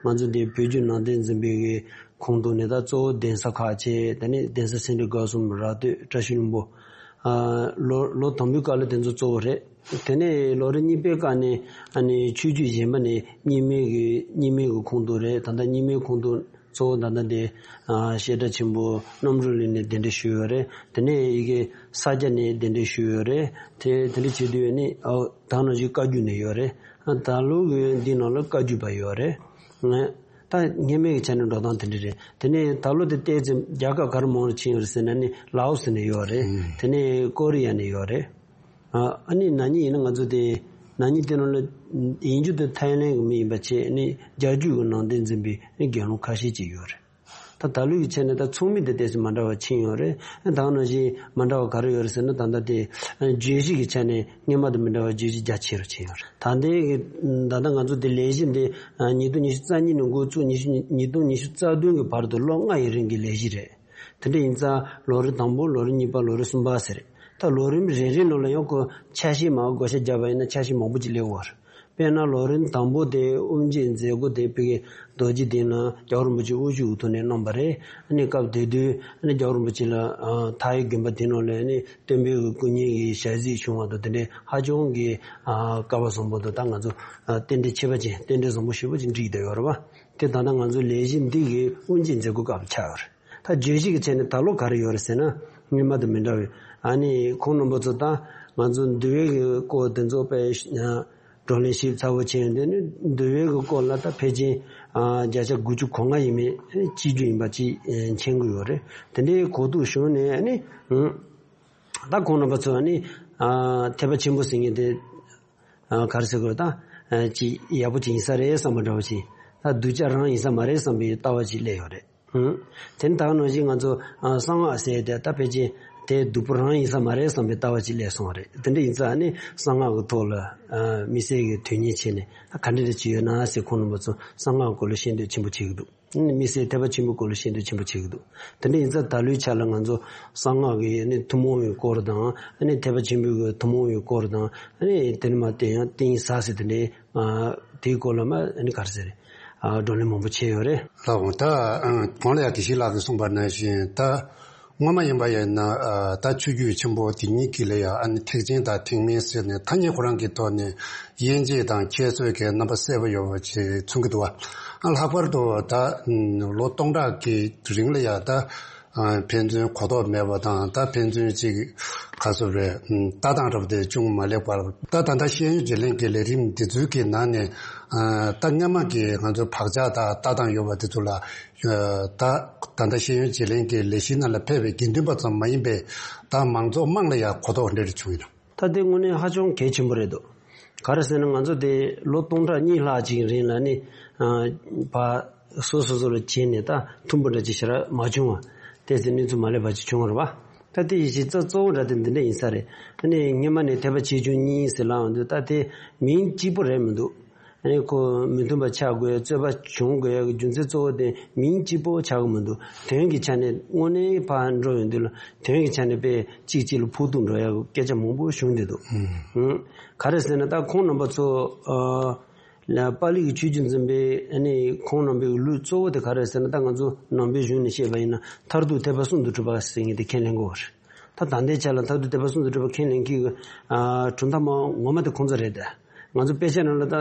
ང་ཚོ་འདི་བོད་བརྒྱུད་ནང་བསྟན་འཛིན་པའི་གི་ཁོངས་གཏོགས་ནས་ད་གཙོ་བོ་གདན་ས་ཁག་བྱས། དེ་ནས་གདན་ས་སེ་འབྲས་དགའ་གསུམ་ར་སྟོད་བཀྲ་ཤིས་ལྷུན་པོ། ཨ་ལོ་ལོ་དང་པོའི་སྐབས་ལ་དེ་ཚོ་གཙོ་བོ་རེད། དེ་ནས་ལོ་རིམ་གཉིས་པའི་སྐབས་ནས་ཨ་ནི་ཆོས་བརྒྱུད་གཞན་པ་ནས་རྙིང་མའི་གི་རྙིང་མའི་གི་ཁོངས་གཏོགས་རེད། ད་ལྟ་རྙིང་མའི་ཁོངས་གཏོགས་གཙོ་བོ་ད་ལྟ་དེ་ཨ་བཤད་གྲྭ་ཆེན་པོ་རྣམ་གྲོལ་གླིང་ནས་གདན་འདྲེན་ཞུས་ཡོད་རེད། དེ་ནས་ཡི་གེ་ས་སྐྱ་ནས་གདན་འདྲེན་ཞུས་ཡོད་རེད། དེ་དེ་འདྲ་བྱེད་དུས་ནི་ཨོ་ད་ནང་བཞིན་བཀའ་བརྒྱུད་ནས་ཡོད་རེད། ཨ་ད་ལོ་གི་འདི་ནང་ལ་བཀའ་བརྒྱུད་པ་ཡོད་རེད། ད་སྔོན་མའི་གི་ཆ་ནས་འགྲོ་སྟངས་དེ་འདྲ་རེད། དེ་ནས་ད་ལོ་དེ་བལྟས་ཚེ་རྒྱལ་ཁབ་ག་རེ་མང་རུ་ཕྱིན་ཡོད་རེད་ཟེར་ན་ནི་ལའོ་སི་ནས་ཡོད་རེད། དེ་ནས་ཀོ་རི་ཡ་ནས་ཡོད་རེད། ཨ་ཨ་ནི་ན་ནིང་ཡིན་ན་ང་ཚོ་དེ་ན་ནིང་དེ་ནང་ལ་ཡིན་རྒྱུ་དེ་ཐའི་ལེན་གི་མི་ཡིན་པ་བྱས། ཨ་ནི་རྒྱ་བརྒྱུད་གི་ནང་བསྟན་འཛིན་པའི་ཨ་ནི་དགེ་སློང་ཁ་ཤས་ཅིག་ཡོད་རེད། ད་ད་ལོའི་གི་ཆ་ནས་ད་ཚོགས་མི་དེ་ཏོག་ཙམ་མ་འདྲ་བ་ཕྱིན་ཡོད་རེད། ཨ་ད་ནང་བཞིན་མ་འདྲ་བ་ག་རེ་ཡོད་རེད་ཟེར་ན། ད་ལྟ་དེ་ཨ་བརྗོད་གཞི་གི་ཆ་ནས་སྔོན་མ་དང་མི་འདྲ་བ་བརྗོད་གཞི་རྒྱ་ཆེ་རུ་ཕྱིན་ཡོད་རེད། ད་ལྟའི་གི་ད་ལྟ་ང་ཚོ་དེ་ལས་གཞི་འདི་ཨ་ཉིས་སྟོང་ཉི་ཤུ་རྩ་གཉིས་ནས་འགོ་བཙུགས། ཉི་ཤུ་ཉིས་སྟོང་ཉི་ཤུ་རྩ་བདུན་གི་བར་དུ་ལོ་ལྔ་ཡི་རིང་གི་ལས་གཞི་རེད། དེ་འདྲ་ཡིན་ཙང་ལོ་རིམ་དང་པོ། ལོ་རིམ་གཉིས་པ། ལོ་རིམ་གསུམ་པ་ཟེར་རེད། ད་ལོ་རིམ་རེ་རེ་ནང་ལ་ཡང་ཁོ་ཆ་ཤས་མར་བགོ་བཤའ་བརྒྱབ་པ་ཡིན་ན་ཆ་ཤས་མང་པོ་ཅིག་སླེབས་ཡོད་རེད། དཔེར་ན་ལོ་རིམ་དང་པོ་དེ་དབུ་འབྱེད་མཛད་སྒོ་དེ་ཕ་གི་རྡོ་རྗེ་གདན་ལ་རྒྱལ་བ་རིན་པོ་ཆེ་དབུ་བཞུགས་ཐོག་ནས་གནང་བ་རེད། ཨ་ནི་སྐབས་དེ་དུས་ཨ་ནི་རྒྱལ་བ་རིན་པོ་ཆེ་ལ་ཨ་མཐའ་ཡི་དགོན་པ་དེ་ནང་ལ་ཨ་ནི་སྟོན་པའི་སྐུ་བརྙན་གྱི་ཞལ་གཟིགས་བྱུང་བ་དང་། དེ་འདྲའི་ཧ་ཅང་གི་ཨ་སྐལ་བ་བཟང་པོ་དང་། ད་ང་ཚོ་ཨ་རྟེན་འབྲེལ་ཁྱད་པར་ཅན། རྟེན་འབྲེལ་བཟང་པོ་ཞེ་པོ་ཅིག་འགྲིག་བསྡད་ཡོད་རེད་པ། དེ་ད་ལྟ་ང་ཚོའི་ལས་གཞི་འདི་གི་དབུ་འབྱེད་མཛད་སྒོ་སྐབས་ཆགས་ཡོད་རེད། ད་བརྗོད་གཞི་གི་ཆ་ནས་ད་ལོ་ག་རེ་ཡོད་རེད་ཟེར་ན། སྔོན་མ་དང་མི་འདྲ་བའི་ཨ་ནི་ཁོང་རྣམ་པ་ཚོ་ད་ང་ཚོ་འདུལ་བའི་གི་སྐོར་དེ་ཚོ་དཔེ་བགྲོ་གླེང་ཞིབ་ཚགས་པོ་བྱས་ཡོང་དུས་ནི། འདུལ་བའི་གི་སྐོར་ལ་ད་ཕལ་ཆེར་ཨ་བརྒྱ་ཆ་དགུ་བཅུ་གོ་ལྔ་ཡས་མས་གཅིག་གྱུར་ཡིན་པ་ཅིག་མཁྱེན་གྱི་ཡོད་རེད། དེ་འདྲའི་གོ་རྟོགས་བྱུང་ནས་ཨ་ནི་ད་ཁོང་རྣམ་པ་ཚོ་ཨ་ནི་ཨ་ཐེག་པ་ཆེན་པོ་ཟེར་མཁན་དེ་ཨ་ག་རེ་ཟེར་དགོས། ད་ཨ་ཅིག་ཡག་པོ་ཅིག་ཡིན་ས་རེད་བསམ་པ་འདྲ་བོ་ཅིག་ད་སྡུག་ཅག་རང་ཡིན་ས་མ་རེད་བསམ་པའི་ལྟ་བ་ཅིག་སླེབས་ཡོད་རེད། ཨང་། དེ་ནི་ད་ག་ནང་བཞིན་ང་ཚོ་ཨ་གསང་སྔགས་ཟེར་དེ་ད་ཕལ་ཆེར་དེ་སྡུག་པོ་རང་ཡིན་ས་མ་རེད་བསམ་པའི་ལྟ་བ་ཅིག་སླེབས་སོང་བ་རེད། དེ་འདྲ་ཡིན་ཙང་ནི་གསང་སྔགས་ཀྱི་ཐོག་ལ་ཨ་དམིགས་བསལ་གྱི་དོན་གཉེར་བྱས་ནས། ད་ག་འདྲ་འདྲ་ཅིག་ཡོད་ན་ཟེར། ཁོང་རྣམ་པ་ཚོ་གསང་སྔགས་སྐོར་ལ་ཤེས་འདོད་ཆེན་པོ་བྱེད་ཀྱི་འདུག་དམིགས་བསལ་ཐེག་པ་ཆེན་པོའི་སྐོར་ལ་ཤེས་འདོད་ཆེན་པོ་བྱེད་ཀྱི་འདུག་དེ་འདྲ་ཡིན་ཙང་ད་ལོའི་ཆ་ལ་ང་ཚོ་གསང་སྔགས་ཀྱི་ནི་ཐུན་མོང་བའི་སྐོར་དང་། ཨ་ནི་ཐེག་པ་ཆེན་པོའི་གི་ཐུན་མོང་བའི་སྐོར་དང་། ཨ་ནི་དེ་ནི་མ་དེ་ཡང་ཏིང་ས་ཟེར་དེ་འདྲའི་ཨ་དེའི་སྐོར་ལ་མ་ཨ་ནི་ག་རེ་ཟེར། ཨ་བགྲོ་གླེང་མང་པོ་བྱས་ཡོད་རེད། ལགས་འོང་། ད་ཨ་གོང་ལ་ཡང་དགེ་བཤེས་ལགས་ཀྱིས་གསུངས་པ་ནང་བཞིན། ད་སྔོན་མ་ཡིན་པ་ཡིན་ན་ཨ་ད་ཆོས་བརྒྱུད་ཆེན་པོ་དེ་གཉིས་ཀྱི་ལ་ཡང་ཨ་ནི་ཐེག་ཆེན་དང་ཐེག་དམན་ཟེར་ནས་ཐ་སྙད་ཁོ་རང་གི་ཐོག་ནས་དབྱེ་འབྱེད་དང་ཁྱད་གསོད་ཀྱི་རྣམ་པ་གསལ་པོ་ཡོད་པ་ཅིག་མཚོན་གྱི་འདུག་བ། ཨ་ལྷག་པར་དུ་ད་ལོ་སྟོང་ཕྲག་གི་རིང་ལ་ཡང་ད་ཨ་ཕན་ཚུན་གོ་རྟོགས་མེད་པ་དང་། ད་ཕན་ཚུན་ཅིག་ག་ཚོད་རེད། ཨ་ལྟ་སྟངས་འདྲ་པོ་དེ་ཅུང་མ་ལེགས་པ། ད་ད་ལྟ་ཤེས་ཡོན་བརྗེ་ལེན་གྱི་ལས་རིམ་འདི་ཚོའི་གི་ནང་ནས་ཨ་ད་སྔ་མ་གི་ང་ཚོའི་བག་ཆགས་དང་ལྟ་སྟངས་ཡོད་པ་དེ་ཚོ་ལ་ཨ་ད་ད་ལྟ་ཤེས་ཡོན་བརྗེ་ལེན་གྱི་ལས་གཞི་ནང་ལ་ཕེབས་པའི་དགེ་འདུན་པ་ཙམ་མ་ཡིན་པའི་ད་མང་ཚོགས་དམངས་ལ་ཡང་གོ་རྟོགས་འདྲ་རེ་བྱུང་ཡོད་ན། ད་དེ་དངོས་གནས་ཧ་ཅང་གལ་ཆེན་པོ་རེད་འདུག་ག་རེ་ཟེར་ན། ང་ཚོ་དེ་ལོ་སྟོང་ཕྲག་གཉིས་ལྷག་ཅིག་རིང་ལ་ནི་ཨ་ཕར་སོ་སོ་སོ་ལ་བྱས་ནས་ད་མཐུན་པོ་འདྲ་ཅིག་ཞེ་དྲག་མ་བྱུང་བ། དེ་ཚེ་གནས་ཚུལ་མ་ལེགས་པ་ཅིག་བྱུང་བ་རེད་པ། ད་དེ་ཡི་གཞི་རྩ་གཙོ་བོ་འདྲ་དེ་འདི་འདྲ་ཡིན་ས་རེད། ཨ་ནི་སྔོན་མ་ནས་ཐེག་པ་ཆེ་ཆུང་གཉིས་ཟེར་ལབ་ཡོང་དུས། ད་དེ་མིང་གཅིག་པོ་རེད་མི་འདུག་ཨ་ནི་ཁོ་མི་མཐུན་པ་ཆགས་དགོས། རྩོད་པ་བྱུང་དགོས་ཡག་གི་རྒྱུ་མཚན་གཙོ་བོ་དེ་མིང་གཅིག་པོ་ཆགས་ཀྱི་མི་འདུག་དོན་གྱི་ཆ་ནས་དངོས་གནས་ཕར་འགྲོ་ཡོང་དུས་ལ་དོན་གྱི་ཆ་ནས་དཔེ་གཅིག་གཅིག་ལ་ཕོག་ཐུག་འགྲོ་ཡག་གི་སྐད་ཆ་མང་པོ་བྱུང་བསྡད་འདུག་ཨང་། ག་རེ་ཟེར་ན། ད་ཁོང་རྣམ་པ་ཚོ་ཨ་ལ་པཱ་ལི་གི་ཆོས་བརྒྱུད་འཛིན་པའི་ཨ་ནི་ཁོང་རྣམ་པའི་ལུགས་གཙོ་བོ་དེ་ག་རེ་ཟེར་ན། ད་ང་ཚོ་ནང་པའི་གཞུང་ནས་བཤད་པ་ཡིན་ན་མཐར་ཐུག་ཐེག་པ་གསུམ་དུ་གྲུབ་པ་ཟེར་མཁན་དེ་ཁས་ལེན་དགོས་པ་རེད། ད་ད་ལྟའི་ཆ་ལ་མཐར་ཐུག་ཐེག་པ་གསུམ་དུ་གྲུབ་པ་ཁས་ལེན་མཁན་གྱི་ཨ་གྲུབ་མཐའ་མ་ངོ་མ་དེ་ཁོང་ཚོ་རེད། ད་ང་ཚོ་དཔེ་ཆ་ནང་ལ་ད་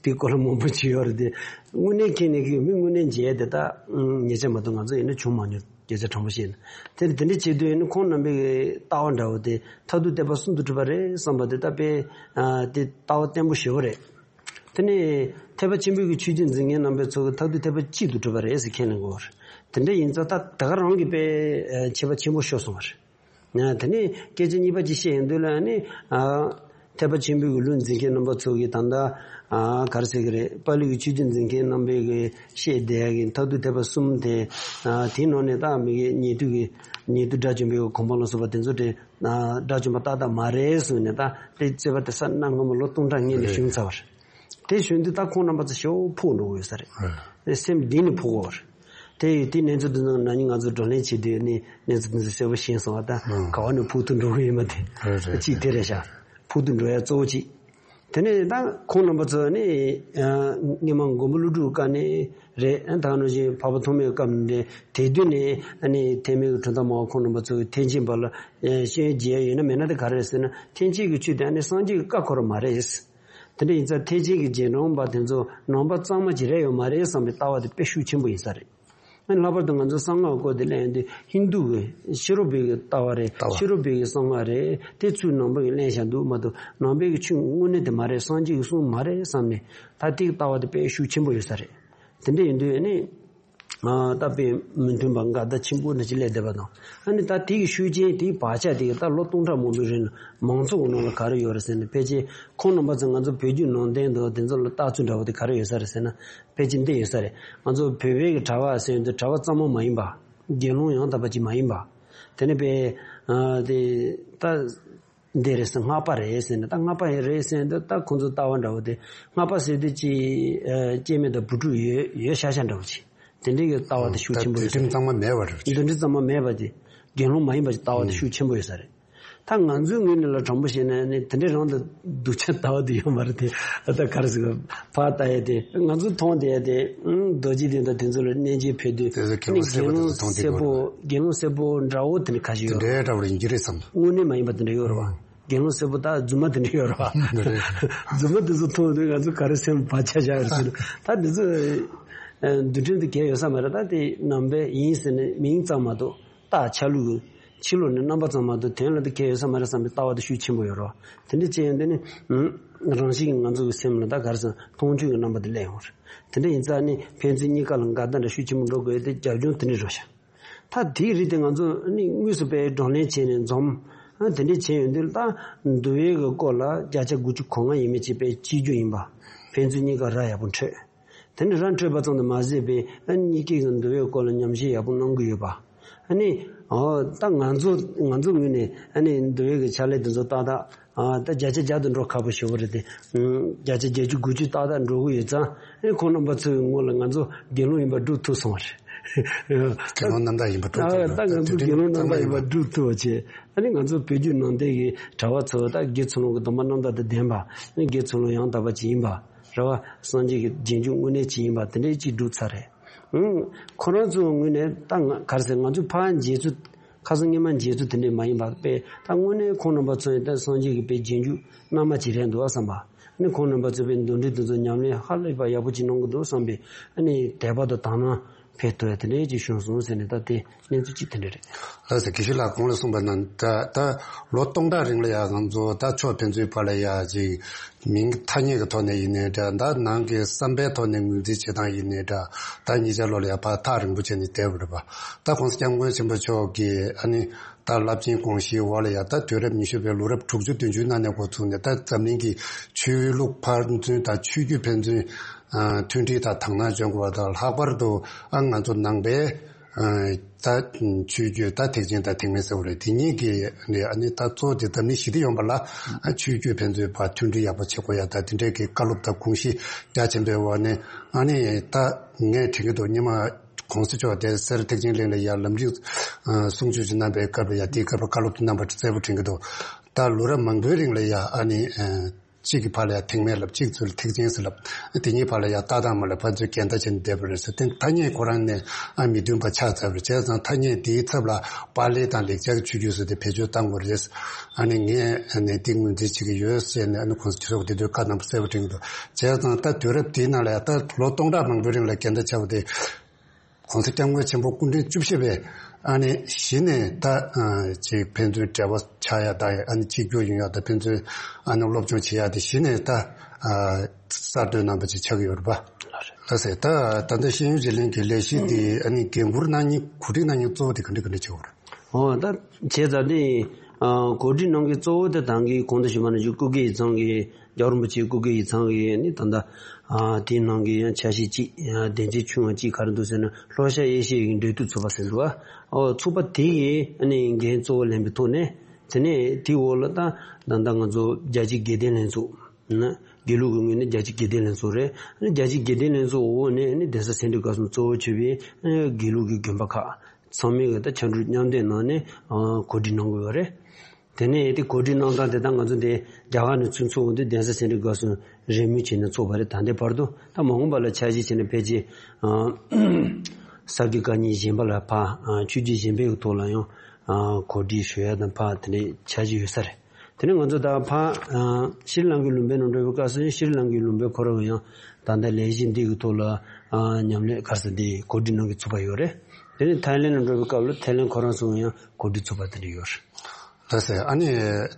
དེའི་སྐོར་ལ་མང་པོ་བྲིས་ཡོད་རེད་དེ། དངོས་གནས་ཁས་ལེན་མཁན་གྱི་མི་དངོས་གནས་མཇལ་དེ་ད་ཉེ་ཆར་མ་གཏོགས་ང་ཚོ་ཡིན་ན་བྱུང་མ་མྱོང་། སྐད་ཆ་དྲང་པོ་བཤད་ན། དེ་དེ་འདྲ་བྱེད་དུས་ནི་ཁོང་རྣམ་པའི་ལྟ་བ་འདྲ་བོ་དེ་མཐར་ཐུག་ཐེག་པ་གསུམ་དུ་གྲུབ་པ་རེད་བསམ་པ་དེ་ད་དཔེ་ཨ་དེ་ལྟ་བ་བརྟན་པོ་ཞེ་པོ་རེད། དེ་ནས་ཐེག་པ་ཆེན་པོའི་གི་ཆོས་བརྒྱུད་འཛིན་མཁན་རྣམ་པའི་ཚོ་གི་མཐར་ཐུག་ཐེག་པ་གཅིག་ཏུ་གྲུབ་པ་རེད་ཟེར་ཁས་ལེན་དགོས་པ་རེད། དེ་འདྲ་ཡིན་ཙང་ད་ད་ག་རང་གི་དཔེ་ཨ་ཁྱད་པར་ཆེན་པོ་ཤོར་སོང་བ་རེད། ཨ་དེ་ནས་སྐད་ཆ་གཉིས་པ་ཅིག་བཤད་ཡོང་དུས་ལ་ནི་ཨ་ཐེག་པ་ཆེན་པོའི་གི་ལུགས་འཛིན་མཁན་རྣམ་པ་ཚོ་གིས་ད་ལྟ་ཨ་ག་རེ་ཟེར་གི་རེད། པཱ་ལི་གི་ཆོས་བརྒྱུད་འཛིན་མཁན་རྣམ་པས་གི་བཤད་བསྡད་ཡག་གི་མཐར་ཐུག་ཐེག་པ་གསུམ་དེ། ཨ་དེའི་ནང་ནས་ད་མི་གི་ཉེ་དུ་གི་ཉེ་དུ་དགྲ་བཅོམ་པའི་གོ་འཕང་ལ་སོགས་པ་དེ་ཚོ་དེ་ཨ་དགྲ་བཅོམ་པ་ཏག་ཏག་མ་རེད་གསུངས་ནས། ད་དེ་རྩོད་པ་དེ་ས་གནམ་སྔ་མོ་ལོ་སྟོང་ཕྲག་སྔོན་ནས་བྱུང་ཚར་བ་རེད། དེ་བྱུང་དུས་ད་ཁོང་རྣམ་པ་ཚོ་ཞེ་པོ་ཕུགས་འགྲོ་གི་ཡོད་ས་རེད། དེ་སེམས་གཏིང་ནས་ཕོག་གི་ཡོད་རེད། དེ་ཡི་དེ་གནས་ཚུལ་དེ་ཚོ་ན་ནིང་ང་ཚོ་བགྲོ་གླེང་བྱེད་དུས་ནི་གནས་ཚུལ་དེ་ཚོ་གསལ་པོ་ཤེས་སོང་བ། ད་ཨང་། ག་བ་ནས་ཕུགས་ཐུག་འགྲོ་གི་ཡོད་མ་དེ། རེད་རེད། གཅིག་དེ་རེད་ཤག་ཕུགས་ཐུག་འགྲོ་ཡ་གཙོ་བོ་གཅིག་དེ་ནས་ད་ཁོང་རྣམ་པ་ཚོ་ནི་སྔོན་མ་མགོན་པོ་ཀླུ་སྒྲུབ་སྐབས་ནས་རེད། ད་ནང་བཞིན་འཕགས་པ་ཐོགས་མེད་སྐབས་ནས་རེད། དེ་དུས་ནས་ཐེག་དམན་གྱི་གྲུབ་མཐའ་སྨྲ་བ་ཁོང་རྣམ་པ་ཚོས་ཐེག་ཆེན་པ་ལ་ཤེས་ཡོན་རྒྱས་ཡོད་ན་མེད་ན་དེ་ག་རེ་རེད་ཟེར་ན། ཐེག་ཆེན་གྱི་ཆོས་དེ་ནི་སངས་རྒྱས་ཀྱི་བཀའ་འཁོར་མ་རེད། དེ་འདྲ་ཡིན་ཙང་ཐེག་ཆེན་གྱི་རྗེས་འབྲང་པ་དེ་ཚོ་ནང་པ་གཙང་མ་ཅིག་རེད་ཡོད་མ་རེད་བསམ་པའི་ལྟ་བ་དེ་དཔེ་ཤུགས་ཆེན་པོ་ཡིན་ས་རེད། ལྷག་པར་དུ་ང་ཚོ་གསང་སྔགས་སྐོར་དེ་གླེང་དུས་ཧིན་རྡུ་གི་ཕྱི་རོལ་པའི་གི་ལྟ་བ་རེད། ལྟ་བ། ཕྱི་རོལ་པའི་གི་གསང་སྔགས་རེད། དེ་ཚུར་ནང་པ་གི་གླེང་བཞག་འདུག་མ་གཏོགས་ནང་པའི་གི་ཆོས་དངོས་གནས་དེ་མ་རེད། སངས་རྒྱས་ཀྱི་གསུང་མ་རེད་བསམ་ནས་ད་དེ་གི་ལྟ་བ་དེ་དཔེ་ཤུགས་ཆེན་པོ་ཡོད་ས་རེད། དེ་འདྲ་ཡིན་དུས་ནི་ད་དཔེ་མི་མཐུན་པ་འགལ་ཟླ་ཆེན་པོ་འདྲ་ཅིག་སླེབས་བསྡད་པ་དང་། ཨ་ནི་ད་དེ་གི་ཤུགས་རྐྱེན་དེའི་བག་ཆགས་དེ་གི་ད་ལོ་སྟོང་ཕྲག་མང་པོའི་རིང་ལ་མང་ཚོགས་ཀྱི་ནང་ལ་ག་རེ་ཡོད་རེད་ཟེར་ན། ཕལ་ཆེར་ཁོང་རྣམ་པ་ཚོ་ང་ཚོ་བོད་བརྒྱུད་ནང་བསྟན་དང་དེ་ཚོ་ལ་ལྟ་ཚུལ་འདྲ་བོ་དེ་ག་རེ་ཡོད་ས་རེད་ཟེར་ན། ཕལ་ཆེར་འདི་ཡོད་ས་རེད། ང་ཚོ་བོད་པའི་གི་གྲྭ་པ་ཟེར་དུས་གྲྭ་པ་གཙང་མ་མ་ཡིན་པ། དགེ་སློང་ཡང་དག་པ་ཅིག་མ་ཡིན་པ། དེ་ནས་པའི་ཨ་དེ་ད་འདི་རེད་ཟེར། སྔགས་པ་རེད་ཟེར་ནས། ད་སྔགས་པ་ཡང་རེད་ཟེར་དུས་ད་ཁོང་ཚོ་ལྟ་བ་འདྲ་བོ་དེ། སྔགས་པ་ཟེར་དུས་ཅིག་ཨ་སྐྱེ་དམན་དང་བུ་ཕྲུག་ཡོད་ཡོད་ཤག་ཤག་འདྲ་བོ་ཅིག་དེ་འདྲའི་གི་ལྟ་བ་དེ་ཤུགས་ཆེན་པོ་ཡོད་ས་རེད། འདུལ་ཁྲིམས་གཙང་མ་མེད་པ་རེད། འདུལ་ཁྲིམས་གཙང་མ་མེད་པ་དེ། དགེ་སློང་མ་ཡིན་པ་ཅིག་ལྟ་བ་དེ་ཤུགས་ཆེན་པོ་ཡོད་ས་རེད། ད་ང་ཚོའི་ངོས་ནས་ལ་དྲང་པོ་བཤད་ན་ནི་དེ་འདྲའི་རང་དུ་སྡུག་ཅག་ལྟ་བ་དེ་ཡོད་མ་རེད་དེ། ད་ག་རེ་ཟེར་གི། ཕར་ལྟ་ཡ་དེ་ང་ཚོ་མཐོང་བསྡད་ཡ་དེ། ཨང་། རྡོ་རྗེ་གདན་དང་དེ་ཚོ་ལ་གནས་མཇལ་ཕེབས་དུས། དེ་ཚོ་དགེ་སློང་ནི་སེར་པོ་དེ་ཚོ་མཐོང་བསྡད་ཡོད་རེད། དགེ་སློང་སེར་པོ་འདྲ་བོ་དེ་འདྲ་ཁ་ཤས་ཡོད་རེད། དེ་འདྲའི་འདྲ་བོ་རེད། ཡིན་གྱི་རེད་བསམ། དངོས་གནས་མ་ཡིན་པ་དེ་འདྲ་ཡོད་རེད་བ། དགེ་སློང་སེར་པོ་ད་རྫུན་མ་དེ་འདྲ་ཡོད་རེད་བ། རྫུན་མ་དེ་ཚོ་མཐོང་དུས་ང་ཚོ་ག་རེ་སེམས་བག་ཆགས་བཞག་ཡོད་རེད་ཟེར་ན། ད་དེ་ཚོ་ཨ་འདུལ་ཁྲིམས་དེ་གལ་ཡོད་ས་མ་རེད། ད་དེ་ནང་པའི་ཡིན་ཟེར་ནས་མིང་ཙམ་མ་གཏོགས། རྟགས་ཆ་ལུགས་ཕྱི་ལོགས་ནས་རྣམ་པ་ཙམ་མ་གཏོགས་དོན་ལ་འདི་གལ་ཡོད་ས་མ་རེད་བསམ་པའི་ལྟ་བ་དེ་ཤུགས་ཆེན་པོ་ཡོད་རེད་བ། དེ་འདྲ་བྱས་ཡོང་དུས་ནི། ཨུམ། རང་བཞིན་གྱིས་ང་ཚོ་གི་སེམས་ལ་ད་ག་རེ་ཟེར་མཐོང་ཆོས་ཀྱི་རྣམ་པ་དེ་སླེབས་ཡོང་རེད། དེ་འདྲ་ཡིན་ཙང་ནི་ཕན་ཚུན་གཉིས་ཀ་ལ་འགལ་ཟླ་འདྲ་ཤུགས་ཆེན་པོ་འགྲོ་དགོས་ཏེ་རྒྱབ་ལྗོངས་དེ་འདྲ་རེད་ཤག་ད་དེའི་རིགས་དེ་ང་ཚོ་ནི་དངོས་སུ་དཔེ་བགྲོ་གླེང་བྱས་ནས་འཛོམས། ཨ་དེ་འདྲ་བྱས་ཡོང་དུས་ད་འདུལ་བའི་གི་སྐོར་ལ་བརྒྱ་ཆ་དགུ་བཅུ་གོ་ལྔ་ཡས་མས་ཅིག་དཔེ་གཅིག་གྱུར་ཡིན་པ། ཕན་ཚུན་གཉིས་ཀ་ར་ཡག་པོ་འཕྲོད། དེ་ནི་ར་འཕྲོད་པ་ཙམ་དུ་མ་ཟད་པའི་ཨ་ནི་གཉིས་ཀའི་གི་འདུལ་བའི་སྐོར་ལ་ཉམས་ཞིབ་ཡག་པོ་གནང་གི་ཡོད་པ། ཨ་ནི་ཨོ་ད་ང་ཚོ་ང་ཚོ་ངོས་ནས་ཨ་ནི་འདུལ་བའི་གི་ཕྱག་ལས་དེ་ཚོ་ཏག་ཏག་ཨ་ད་བརྒྱ་ཆ་བརྒྱ་དུ་འགྲོ་ཁག་པོ་ཞེ་པོ་རེད་དེ། ཨུམ། བརྒྱ་ཆ་བརྒྱད་ཅུ་དགུ་བཅུ་ཏག་ཏག་འགྲོ་གི་ཡོད་ཙང་། ཨ་ནི་ཁོང་རྣམ་པ་ཚོའི་ངོས་ལ་ང་ཚོ་དགེ་སློང་ཡིན་པ་སྒྲུབ་ཐུབ་སོང་བ་རེད། དགེ་སློང་རྣམ་དག་ཡིན་པ་སྒྲུབ་ཐུབ། ཨ་ད་ང་ཚོ་དགེ་སློང་རྣམ་དག་ཡིན་པ་སྒྲུབ་ཐུབ་པ་བྱས། ཨ་ནི་ང་ཚོ་བོད་བརྒྱུད་ནང་བསྟན་གྱི་གྲྭ་པ་ཚོ་ད་དགེ་ཚུལ་སློང་གི་སྡོམ་པ་རྣམ་དག་དང་ལྡན་པ། ཨ་ནི་དགེ་ཚུལ་སློང་ཡང་དག་པ་ཅིག་ཡིན་པ་རེད་བ། སངས་རྒྱས་ཀྱི་རྗེས་འཇུག་དངོས་གནས་ཅིག་ཡིན་པ་དེ་འདྲའི་ཅིག་སྒྲུབ་ཚར་རེད། ཨང་། ཁོ་རང་ཚོའི་ངོས་ནས་ད་ང་ག་རེ་ཟེར། ང་ཚོ་ཕར་མཇལ་ཚུལ། ཁ་སང་སྔོན་མ་མཇལ་ཚུལ་དེ་འདྲ་མ་ཡིན་པ་དཔེ། ད་དངོས་གནས་ཁོང་རྣམ་པ་ཚོ་ཡིན་ད་སངས་རྒྱས་ཀྱི་དཔེ་རྗེས་འཇུག་རྣལ་མ་ཅིག་རེད་འདུག་བསམ་པ། ཨ་ནི་ཁོང་རྣམ་པ་ཚོས་དཔེ་འདུལ་ཁྲིམས་དེ་ཚོ་ཉམས་ལེན་ཧ་ལས་པ་ཡག་པོ་ཅིག་གནང་གི་འདུག་བསམ་པའི་ཨ་ནི་དད་པ་དང་དག་སྣང་འཕེལ་ཐུབ་ཡ་དེ་འདྲའི་ཅིག་བྱུང་སོང་ཟེར་ནས། ད་དེ་གནས་ཚུལ་ཅིག་དེ་འདྲ་རེད། ལགས་སོ། དགེ་བཤེས་ལགས་གོང་ལ་གསུངས་པ་ནང་ད་ད་ལོ་སྟོང་ཕྲག་རིང་ལ་ཡ་ང་ཚོ་ད་ཕྱོགས་ཕན་ཚུན་བར་ལ་ཡ་ཅིག་མིང་ཐ་སྙད་ཀྱི་ཐོག་ནས་ཡིན་ནའི་འདྲ། ད་ནང་གི་བསམ་པའི་ཐོག་ནས་ངོས་འཛིན་བྱེད་སྟངས་ཡིན་ནའི་འདྲ། ད་གཉིས་ཆ་ལོ་ལ་ཡ་བར་ཐག་རིང་པོ་བྱས་ནས་བསྡད་པ་རེད་པ། ད་༸གོང་ས་༸སྐྱབས་མགོན་ཆེན་པོ་མཆོག་གིས་ཨ་ནི་ད་རླབས་ཆེན་དགོངས་གཞིའི་འོག་ལ་ཡ་ད་དུས་རབས་ཉི་ཤུ་པའི་ལོ་རབས་དྲུག་ཅུ་བདུན་ཅུའི་ནང་ནས་འགོ་བཙུགས་ནས། ད་འཛམ་གླིང་གི་ཆོས་ལུགས་ཕན་ཚུན་དང་ཆོས་བརྒྱུད་ཕན་ཚུན་མཐུན་སྒྲིལ་དང་དག་སྣང་འཇོག་དགོས་པ་དང་། ལྷག་པར་དུ་ཨ་ང་ཚོ་ནང་པའི་ད་ཆོས་བརྒྱུད་ད་ཐེག་ཆེན་དང་ཐེག་དམན་ཟེར་བ་རེད། དེ་གཉིས་ཀྱི་ནས་ཨ་ནི་ད་གཙོ་བོ་དེ་འཛམ་གླིང་ཞི་བདེ་ཡོང་བ་ལ་ཨ་ཆོས་བརྒྱུད་ཕན་ཚུན་བར་མཐུན་སྒྲིལ་ཡག་པོ་བྱེད་དགོས་ཡ་ད་དེ་འདྲའི་གི་བཀའ་སློབ་དང་དགོངས་གཞི་རྒྱ་ཆེན་པོའི་འོག་ནས། ཨ་ནི་ད་ངས་དྲན་གྱི་འདུག་སྔོན་མ་༸གོང་ས་མཆོག་དེ་སེ་ར་ཐེག་ཆེན་གླིང་ལ་ཡ་ལམ་རིམ་གསུང་ཆོས་ཅིག་གནང་པའི་སྐབས་ལ་ཡ། དེའི་སྐབས་ལ་བཀའ་སློབ་དེ་གནང་པ་གསལ་པོ་དྲན་གྱི་འདུག་ད་ལོ་རབས་མང་པོའི་རིང་ལ་ཡ་ཨ་ནི་གཅིག་གི་བར་ལ་ཡ་ཐེག་དམན་ལབ། གཅིག་ཚུར་ཐེག་ཆེན་ཟེར་ལབ། དེ་གཉིས་བར་ལ་ཡ་ལྟ་སྟངས་མ་ལ་ཕན་ཚུན་འགལ་ཟླ་བྱས་ནས་བསྡད་པ་རེད་ཟེར། དེ་ཐ་སྙད་ཁོ་རང་ནས་ཨ་མི་མཐུན་པ་ཆགས་ཚར་བ་རེད། བྱས་ཙང་ཐ་སྙད་དེའི་ཚབ་ལ་པཱ་ལི་དང་ལེགས་སྦྱར་གྱི་ཆོས་བརྒྱུད་ཟེར་དེ་བེད་སྤྱོད་གཏང་དགོས་རེད། ཨ་ནི་ངས་ཨ་ནི་དེ་ངོས་འཛིན་བྱེད་ཀྱི་ཡོད་ཟེར་ནས་ཨ་ནི་༸གོང་ས་མཆོག་གིས་དེ་དུས་བཀའ་གནང་བ་གསལ་པོ་དྲན་གྱི་འདུག་བྱས་ཙང་ད་དུས་རབས་དེའི་ནང་ལ་ཡ་ད་ལོ་སྟོང་ཕྲག་མང་པོའི་རིང་ལ་འགལ་ཟླ་ཆགས་པ་དེ། ༸གོང་ས་༸སྐྱབས་མགོན་ཆེན་པོ་སྐུ་ཕྲེང་བཅུ་བཞི་པས་ཨ་ནི་གཞི་ནས་ད་ཅིག་ཕན་ཚུན་འབྲེལ་བ་ཆགས་ཡ་དང་། ཨ་ནི་གཅིག་གྱུར་ཡོང་ཡ་དང་། ཕན་ཚུན་ཨ་ནི་སློབ་སྦྱོང་བྱེད་ཡ་དེ་གཞི་ནས་ད་གསར་གཏོད་གནང་བ་ཅིག་ཆགས་ཀྱི་ཡོད་རེད་པ། ལགས་སེ། ད་ད་ལྟ་ཤེས་ཡོན་བརྗེ་ལེན་གྱི་ལས་གཞི་དེ་ཨ་ནི་འགན་འཁུར་གནང་མཁན། གོ་སྒྲིག་གནང་མཁན་གཙོ་བོ་དེ་ག་འདྲ་ག་འདྲ་བྱེད་དགོས་རེད། ཨོ་ད་བྱས་ཙང་དེ་གོ་སྒྲིག་གནང་མཁན་གཙོ་བོ་དེ་ད་གིན་གོང་དུ་ཞུས་པ་ནང་བཞིན་སྐུ་སྒེར་ཡིག་ཚང་གི། རྒྱལ་བ་རིན་པོ་ཆེའི་སྐུ་སྒེར་ཡིག་ཚང་གི་ནི་ད་ལྟ་ཨ་དེའི་ནང་གི་ཡང་ཆ་ཤས་གཅིག་ཡང་སྡེ་ཚན་ཆུང་བ་གཅིག་ག་རེ་འདུག་ཟེར་ན། ལྷོ་ཤར་ཨེ་ཤི་ཡའི་འབྲེལ་མཐུད་ཚོགས་པ་ཟེར་འདུག་ཨ། ཨོ་ཚོགས་པ་དེ་ཡི་ཨ་ནི་འགན་གཙོ་བོ་ལེན་པའི་ཐོག་ནས། དེ་ནས་དེའི་འོག་ལ་ད་ད་ལྟ་ང་ཚོ་རྒྱལ་སྤྱིའི་དགེ་ལྡན་ལྷན་ཚོགས། ན་དགེ་ལུགས་ཀྱི་ངོས་ནས་རྒྱལ་སྤྱིའི་དགེ་ལྡན་ལྷན་ཚོགས་རེད། ཨ་ནི་རྒྱལ་སྤྱིའི་དགེ་ལྡན་ལྷན་ཚོགས་འོག་ནས་ཨ་ནི་གདན་ས་སེ་འབྲས་དགའ་གསུམ་གཙོ་བོ་བྱས་པའི་ཨ་ནི་དགེ་ལུགས་ཀྱི་དགོན་པ་ཁག་ཚང་མས་གི་ད་ཕྱར་གྲུ་མཉམ་འདེགས་གནང་ནས་ཨ་གོ་སྒྲིག་གནང་དགོས་པ་རེད། དེ་ནས་དེ་གོ་སྒྲིག་གནང་སྟངས་དེ་ད་ང་ཚོ་འདི་རྒྱ་གར་ནས་ཚུར་ཚུགས་འོང་དུས་གདན་ས་སེ་འབྲས་དགའ་གསུམ་རེས་མོས་བྱས་ནས་ཚུགས་པ་རེད། ད་ལྟའི་བར་དུ་ད་མ་འོངས་པ་ལ་འཆར་གཞི་བྱས་ནས་ཕལ་ཆེར་ཨ་ས་དགེ་བཀའ་རྙིང་གཞན་པ་ལ་ཕར་ཨ་ཆོས་བརྒྱུད་གཞན་པའི་ཐོག་ལ་ཡང་ཨ་གོ་སྒྲིག་ཞུ་ཡ་དང་ཕར་དེ་འདྲའི་འཆར་གཞི་ཡོད་ས་རེད། དེ་ནས་ང་ཚོ་ད་ཕར་ཨ་ཤྲི་ལང་ཀའི་ལུང་པའི་ནང་འགྲོ་བའི་སྐབས་སུ་ཤྲི་ལང་ཀའི་ལུང་པའི་ཁོ་རང་ཡང་ད་ལྟ་ལས་གཞི་འདི་གི་ཐོག་ལ་ཨ་ཉམས་ལེན་ག་རེ་ཟེར་འདི་གོ་སྒྲིག་གནང་གི་ཚུགས་པ་ཡོད་རེད། དེ་ནས་ཐའི་ལེན་ལ་འགྲོ་བའི་སྐབས་ལ་ཐའི་ལེན་ཁོ་རང་ཚོ་ཡང་གོ་སྒྲིག་ཚུགས་པ་དེ་འདྲ་ཡོད་རེད། ལགས་སེ། ཨ་ནི་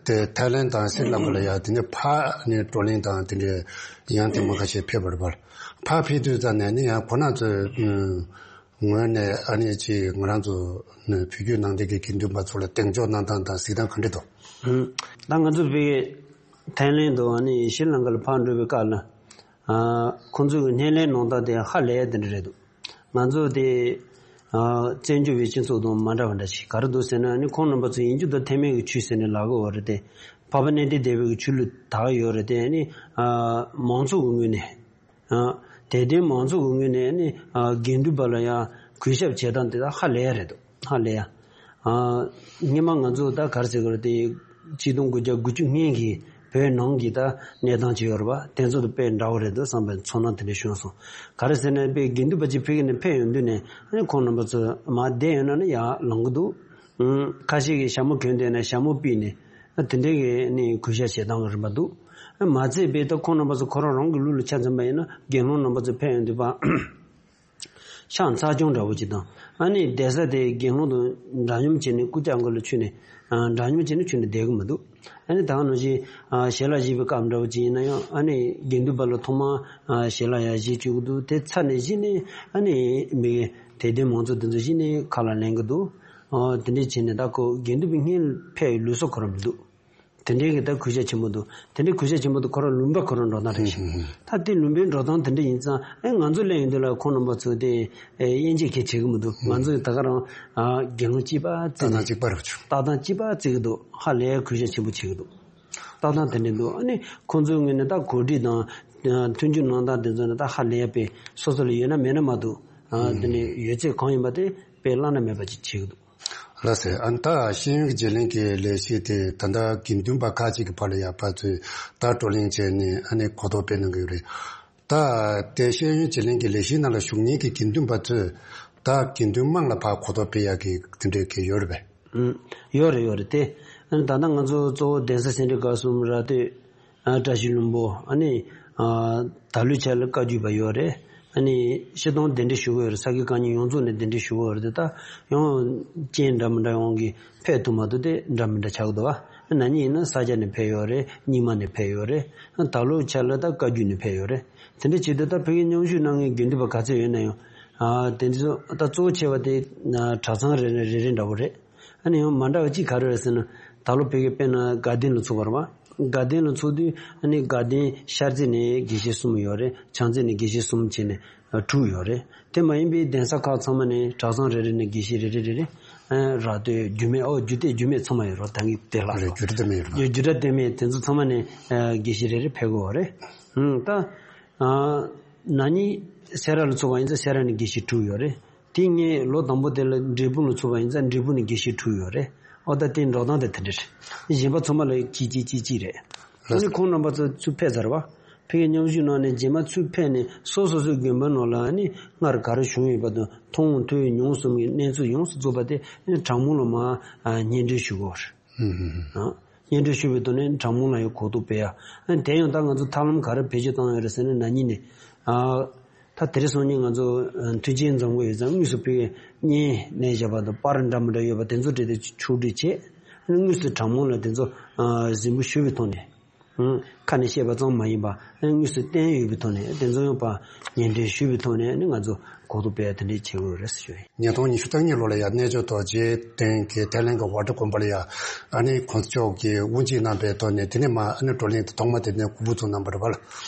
དེ་ཐའི་ལེན་དང་ཤྲི་ལང་ཀ་ལ་ཡང་དེ་ནས་ཕར་ནས་བགྲོ་གླེང་དང་དེ་འདྲའི་ཡང་དེ་མ་ཁ་ཤས་ཕེབས་པ་རེད་པ། ཕར་ཕེབས་དུས་ཙམ་ནས་ནི་ཡང་ཁོ་རང་ཚོའི་ངོས་ནས་ཨ་ནི་ཅིག་ང་རང་ཚོ་བོད་བརྒྱུད་ནང་བསྟན་གྱི་དགེ་འདུན་པ་ཚོ་ལ་གདེང་འཇོག་གནང་སྟངས་དང་གཟིགས་སྟངས་ག་འདྲ་འདུག་ད་ང་ཚོ་བོད་ཐའི་ལེན་དུ་ཨ་ནི་ཤྲི་ལང་ཀ་ལ་ཕར་འགྲོ་བའི་སྐབས་ལ་ཨ་ཁོང་ཚོའི་སྣེ་ལེན་གནང་སྟངས་དེ་ཧ་ལས་དེ་འདྲ་རེད་འདུག་ང་ཚོ་དེ་ཨ་བཙན་བྱོལ་བའི་སྤྱི་ཚོགས་དང་མ་འདྲ་བ་འདྲ་ཞིག་ག་རེ་འདུག་ཟེར་ན། ཨ་ནི་ཁོང་རྣམ་པ་ཚོ་ཡིན་རྒྱུ་དང་ཐའེ་མེན་གྱི་ཆོས་ཟེར་ནས་ལབ་ཀྱི་ཡོད་རེད་དེ། འཕགས་པ་གནས་བརྟན་སྡེ་པའི་གི་ཆོས་ལུགས་དར་ཡོད་རེད་དེ། ཨ་ནི་ཨ་མང་ཚོགས་ཀྱི་ངོས་ནས་ཨ་དད་ལྡན་མང་ཚོགས་ཀྱི་ངོས་ནས་ཨ་ནི་ཨ་དགེ་འདུན་པ་ལ་ཡང་གུས་ཞབས་བྱེད་སྟངས་དེ་དག་ཧ་ལས་ཡ་རེད་འདུག་ཧ་ལས་ཡ། ཨ་སྔོན་མ་ང་ཚོ་ད་ག་རེ་ཟེར་དགོས་རེད་དེ། ཆིག་སྟོང་དགུ་བརྒྱ་དགུ་བཅུ་སྔོན་གྱི་བོད་ནང་གི་ད་གནས་སྟངས་ཅིག་ཡོད་རེད་པ། དེ་ཚོ་དང་དཔེ་འདྲ་བོ་རེད་འདུག་བསམ་པའི་ཚོར་སྣང་དེ་འདྲ་བྱུང་སོང་། ག་རེ་ཟེར་ན་དཔེ་དགེ་འདུན་པ་ཅིག་ཕ་གི་ནས་ཕེབས་ཡོང་དུས་ནས་ཨ་ནི་ཁོང་རྣམ་པ་ཚོ་མར་བསྡད་ཡོད་ན་ནི་ཡར་ལངས་ཀྱི་འདུག་ཨུམ། ཁ་ཤས་ཀྱིས་ཞྭ་མོ་གྱོན་བསྡད་ན་ཞྭ་མོ་ཕུད་ནས་ཨ་དེ་འདྲའི་གི་ནི་གུས་ཞབས་བྱེད་སྟངས་རིམ་པ་འདུག་ཨ་མ་ཚད་པའི་ད་ཁོང་རྣམ་པ་ཚོ་ཁོ་རང་རང་གི་ལུགས་ལ་ཆ་མཚོན་པ་ཡིན་ན་དགེ་སློང་རྣམ་པ་ཚོ་ཕེབས་ཡོང་དུས་པ། ཤག་ཚ་གྱང་འདྲ་བོ་ཅིག་དང་། ཨ་ནི་བསྡད་ས་དེ་དགེ་སློང་དང་འདྲ་མཉམ་བྱས་ནས་སྐུ་རྐྱང་གུ་ལ་ཆུད་ནས་ཨ་འདྲ་མཉམ་བྱས་ནས་ཆུད་ནས་བསྡད་གི་མི་འདུག་ཨ་ནི་ད་ག་ནང་བཞིན་ཨ་ཞལ་ལག་བཞེས་པའི་སྐབས་འདྲ་བོ་ཅིག་ཡིན་ན་ཡང་། ཨ་ནི་དགེ་འདུན་པ་ལ་ཐོག་མར་ཨ་ཞལ་ལག་ཡར་བཞེས་བཅུག་གི་འདུག་དེ་ཚར་ནས་གཞི་ནས་ཨ་ནི་མི་དད་ལྡན་མང་ཚོགས་དེ་ཚོ་གཞི་ནས་ཁ་ལག་ལེན་གི་འདུག་ཨ་དེ་འདྲས་བྱས་ནས་ད་ཁོ་དགེ་འདུན་པའི་སྔོན་ཕེབས་ལུགས་སྲོལ་ཁོ་རང་མི་འདུག་དེ་འདྲའི་གི་ད་གུས་ཞབས་ཆེན་པོ་འདུག་དེ་འདྲའི་གུས་ཞབས་ཆེན་པོ་འདུག་ཁོ་རང་ལུང་པ་ཁོ་རང་འགྲོ་སྟངས་རེད་ཤག་ཧུམ་ཧུམ། ད་དེ་ལུང་པའི་འགྲོ་སྟངས་དེ་འདྲ་ཡིན་ཙང་། ཨེ་ང་ཚོ་སླེབས་ཡོང་དུས་ལ་ཁོང་རྣམ་པ་ཚོ་དེ་ཨེ་དབྱེ་འབྱེད་གང་ཡང་བྱེད་ཀྱི་མི་འདུག་ཧུམ། ང་ཚོ་ད་ག་རང་ཨ་དགེ་སློང་གཅིག་པ་བརྩི་ནས། ལྟ་སྟངས་གཅིག་པ་རེད་བྱུང་། ལྟ་སྟངས་གཅིག་པ་བརྩི་གི་འདུག་ཧ་ལས་གུས་ཞབས་ཆེན་པོ་བྱེད་ཀྱི་འདུག་ལྟ་སྟངས་དེ་འདྲ་འདུག་ཨ་ནི་ཁོང་ཚོའི་ངོས་ནས་ད་གོ་སྒྲིག་དང་ཨ་མཐུན་འགྱུར་གནང་སྟངས་དེ་ཚོ་ནི་ད་ཧ་ལས་པའི་སོ་སོ་ལ་ཡོད་ན་མེད་ན་མ་གཏོགས། ཨ་ཧུམ། དེ་ནས་ཡོད་ཚད་གང་ཡིན་པ་དེ་དཔེ་བླ་ན་མེད་པ་ཅིག་བྱེད་ཀྱི་འདུག་ལགས་སེ། ཨ་ནི་ད་ཤེས་ཡོན་གྱི་བརྗེ་ལེན་གྱི་ལས་གཞི་དེ་ད་ལྟ་དགེ་འདུན་པ་ཁག་ཅིག་གི་བར་ལ་ཡང་ཕར་ཚུར་ད་བགྲོ་གླེང་བྱས་ནས་ཨ་ནི་གོ་རྟོགས་སྤེལ་གནང་གི་ཡོད་རེད། ད་དེ་ཤེས་ཡོན་བརྗེ་ལེན་གྱི་ལས་གཞིའི་ནང་ལ་ཞུགས་མཁན་གྱི་དགེ་འདུན་པ་ཚོས་ད་དགེ་འདུན་དམངས་ལ་ཕར་གོ་རྟོགས་སྤེལ་ཡག་གི་དེ་འདྲའི་གི་ཡོད་རེད་པས། ཨུམ། ཡོད་རེད་ཡོད་རེད་དེ། ཨ་ནི་ད་ལྟ་ང་ཚོ་གཙོ་བོ་གདན་ས་སེ་འབྲས་དགའ་གསུམ། ར་སྟོད། ཨ་བཀྲ་ཤིས་ལྷུན་པོ། ཨ་ནི་ཨ་ད་ལོའི་ཆར་ལ་བཀའ་བརྒྱུད་པ་ཡོད་རེད། ཨ་ནི་སྤྱིར་བཏང་གདན་འདྲེན་ཞུ་གི་ཡོད་རེད། ས་དགེ་བཀའ་རྙིང་ཡོངས་རྫོགས་ནས་གདན་འདྲེན་ཞུ་གི་ཡོད་རེད་དེ། ད་ཡང་རྐྱེན་འདྲ་མི་འདྲ་ཡོང་གི་ཕེབས་ཐུབ་མ་ཐུབ་དེ་འདྲ་མི་འདྲ་ཆགས་ཀྱི་འདུག་བ། ན་ནིང་ཡིན་ན་ས་སྐྱ་ནས་ཕེབས་ཡོད་རེད། རྙིང་མ་ནས་ཕེབས་ཡོད་རེད། ད་ལོའི་ཆར་ལ་ད་བཀའ་བརྒྱུད་ནས་ཕེབས་ཡོད་རེད། དེ་འདྲ་བྱེད་དུས་ད་ཕ་གིར་མཉམ་ཞུགས་གནང་མཁན་དགེ་འདུན་པ་ག་ཚོད་ཡོད་ན་ཡང་། ཨ་དེ་ཚོ་ད་གཙོ་བོ་ཆེ་བ་དེ་ཨ་གྲྭ་ཚང་རེ་རེ་རེ་རེ་འདྲ་བོ་རེད། ཨ་ནི་ཡང་མ་འདྲ་བ་གཅིག་ག་རེ་རེད་ཟེར་ན། ད་ལོ་ཕ་གི་དཔེར་ན་དགའ་ལྡན་ལ་ཚུགས་པ་རེད་བ། དགའ་ལྡན་ལ་ཚུགས་དུས་ཨ་ནི་དགའ་ལྡན་ཤར་རྩེ་ནས་དགེ་བཤེས་གསུམ་ཡོད་རེད། བྱང་རྩེ་ནས་དགེ་བཤེས་གསུམ་བྱས་ནས་ཨ་དྲུག་ཡོད་རེད། དེ་མ་ཡིན་པའི་གདན་ས་ཁག་ཚང་མ་ནས་གྲྭ་ཚང་རེ་རེ་ནས་དགེ་བཤེས་རེ་རེ་རེ་རེ། ཨ་ར་སྟོད་རྒྱུད་སྨད། ཨོ་རྒྱུད་སྟོད་རྒྱུད་སྨད་ཚང་མ་ཡོད་རེད། ད་གིན་དེ་ལ་རེད། རྒྱུད་སྟོད་སྨད་ཡོད་རེད་བ། རྒྱུད་སྟོད་སྨད་དེ་ཚོ་ཚང་མ་ནས་ཨ་དགེ་བཤེས་རེ་རེ་ཕེབས་ཀྱི་ཡོད་རེད། ཨུམ། ད་ཨ་ན་ནིང་སེ་ར་ལ་ཚུགས་པ་ཡིན་ཙང་སེ་ར་ནས་དགེ་བཤེས་དྲུག་ཡོད་རེད། དེ་ངས་ལོ་དང་པོ་དེ་ལ་འབྲས་སྤུངས་ལ་ཚུགས་པ་ཡིན་ཙང་འབྲས་སྤུངས་ནས་དགེ་བཤེས་དྲུག་ཡོད་རེད། ཨོ་ད་དེ་འགྲོ་སྟངས་དེ་དེ་འདྲ་རེད། གཞན་པ་ཚང་མ་ལ་གཅིག་གཅིག་གཅིག་གཅིག་རེད། ཨ་ནི་ཁོང་རྣམ་པ་ཚོ་ཚུར་ཕེབས་ཚར་བ། ཕ་གིར་མཉམ་ཞུགས་གནང་ནས་རྗེས་མ་ཚུར་ཕེབས་ནས་སོ་སོ་སོའི་དགོན་པ་ནང་ལ་ཨ་ནི་སྔར་ག་རེ་བྱུང་ཡོད་པ་དང་མཐོང་ཐོས་མྱོང་གསུམ་གྱི་གནས་ཚུལ་ཡོངས་སུ་རྫོགས་པ་དེ་ཨ་ནི་དྲང་མོ་ལ་མར་ཨ་སྙན་སྒྲོན་ཞུ་དགོས་རེད། ཧུམ་ཧུམ་ཧུམ། ཨ། སྙན་སྒྲོན་ཞུ་བའི་ཐོག་ནས་དྲང་མོ་ལ་ཡང་གོ་རྟོགས་སྤེལ་ཡ། ཨ་ནི་དེ་ཡང་ད་ང་ཚོ་ཐབས་ལམ་ག་རེ་བེད་སྤྱོད་བཏང་ཡོད་རེད་ཟེར་ན། ན་ནིང་ནས། ཨ། ད་དེ་རིང་སང་ཉིན་ང་ཚོ་མཐུན་རྐྱེན་འཛོམས་ཀྱི་ཡོད་ཙང་དངོས་སུ་ཕ་གིར་བརྙན་བཞག་པ་དང་པར་འདྲ་མི་འདྲ་ཡོད་པ་དེ་ཚོ་འབྲི་སྟེ་ཕྱོགས་སྒྲིག་བྱས། ཨ་ནི་དངོས་སུ་དྲང་མོ་ལ་དེ་ཚོ་ཨ་གཟིགས་འབུལ་ཞུ་བའི་ཐོག་ནས། ཨང་། ཁ་ནས་བཤད་པ་ཙམ་མ་ཡིན་པ། ཨ་ནི་དངོས་སུ་བསྟན་ཡོད་པའི་ཐོག་ནས། དེ་ཚོ་ཡང་ཕར་སྙན་སྒྲོན་ཞུ་བའི་ཐོག་ནས། ཨ་ནི་ང་ཚོ་གོ་རྟོགས་སྤེལ་ཡ་དེ་འདྲས་བྱེད་དགོས་རེད་ཟེར་ཞུ་ཡིན། ཉིས་སྟོང་ཉི་ཤུ་རྩ་གཉིས་ལོ་ལ་ཡང་རྣལ་འབྱོར་རྡོ་རྗེ་གདན་གྱི་ཐའི་ལན་གྱི་ཝ་ཊ་དགོན་པ་ལ་ཡང་ཨ་ནི་གོང་ས་མཆོག་གིས་དབུ་འབྱེད་གནང་པའི་ཐོག་ནས། དེ་ནས་མར་ཨ་ནི་བགྲོ་གླེང་དེ་ཐོག་མ་དེ་ནས་འགོ་འཛུགས་གནང་བ་རེད་པ།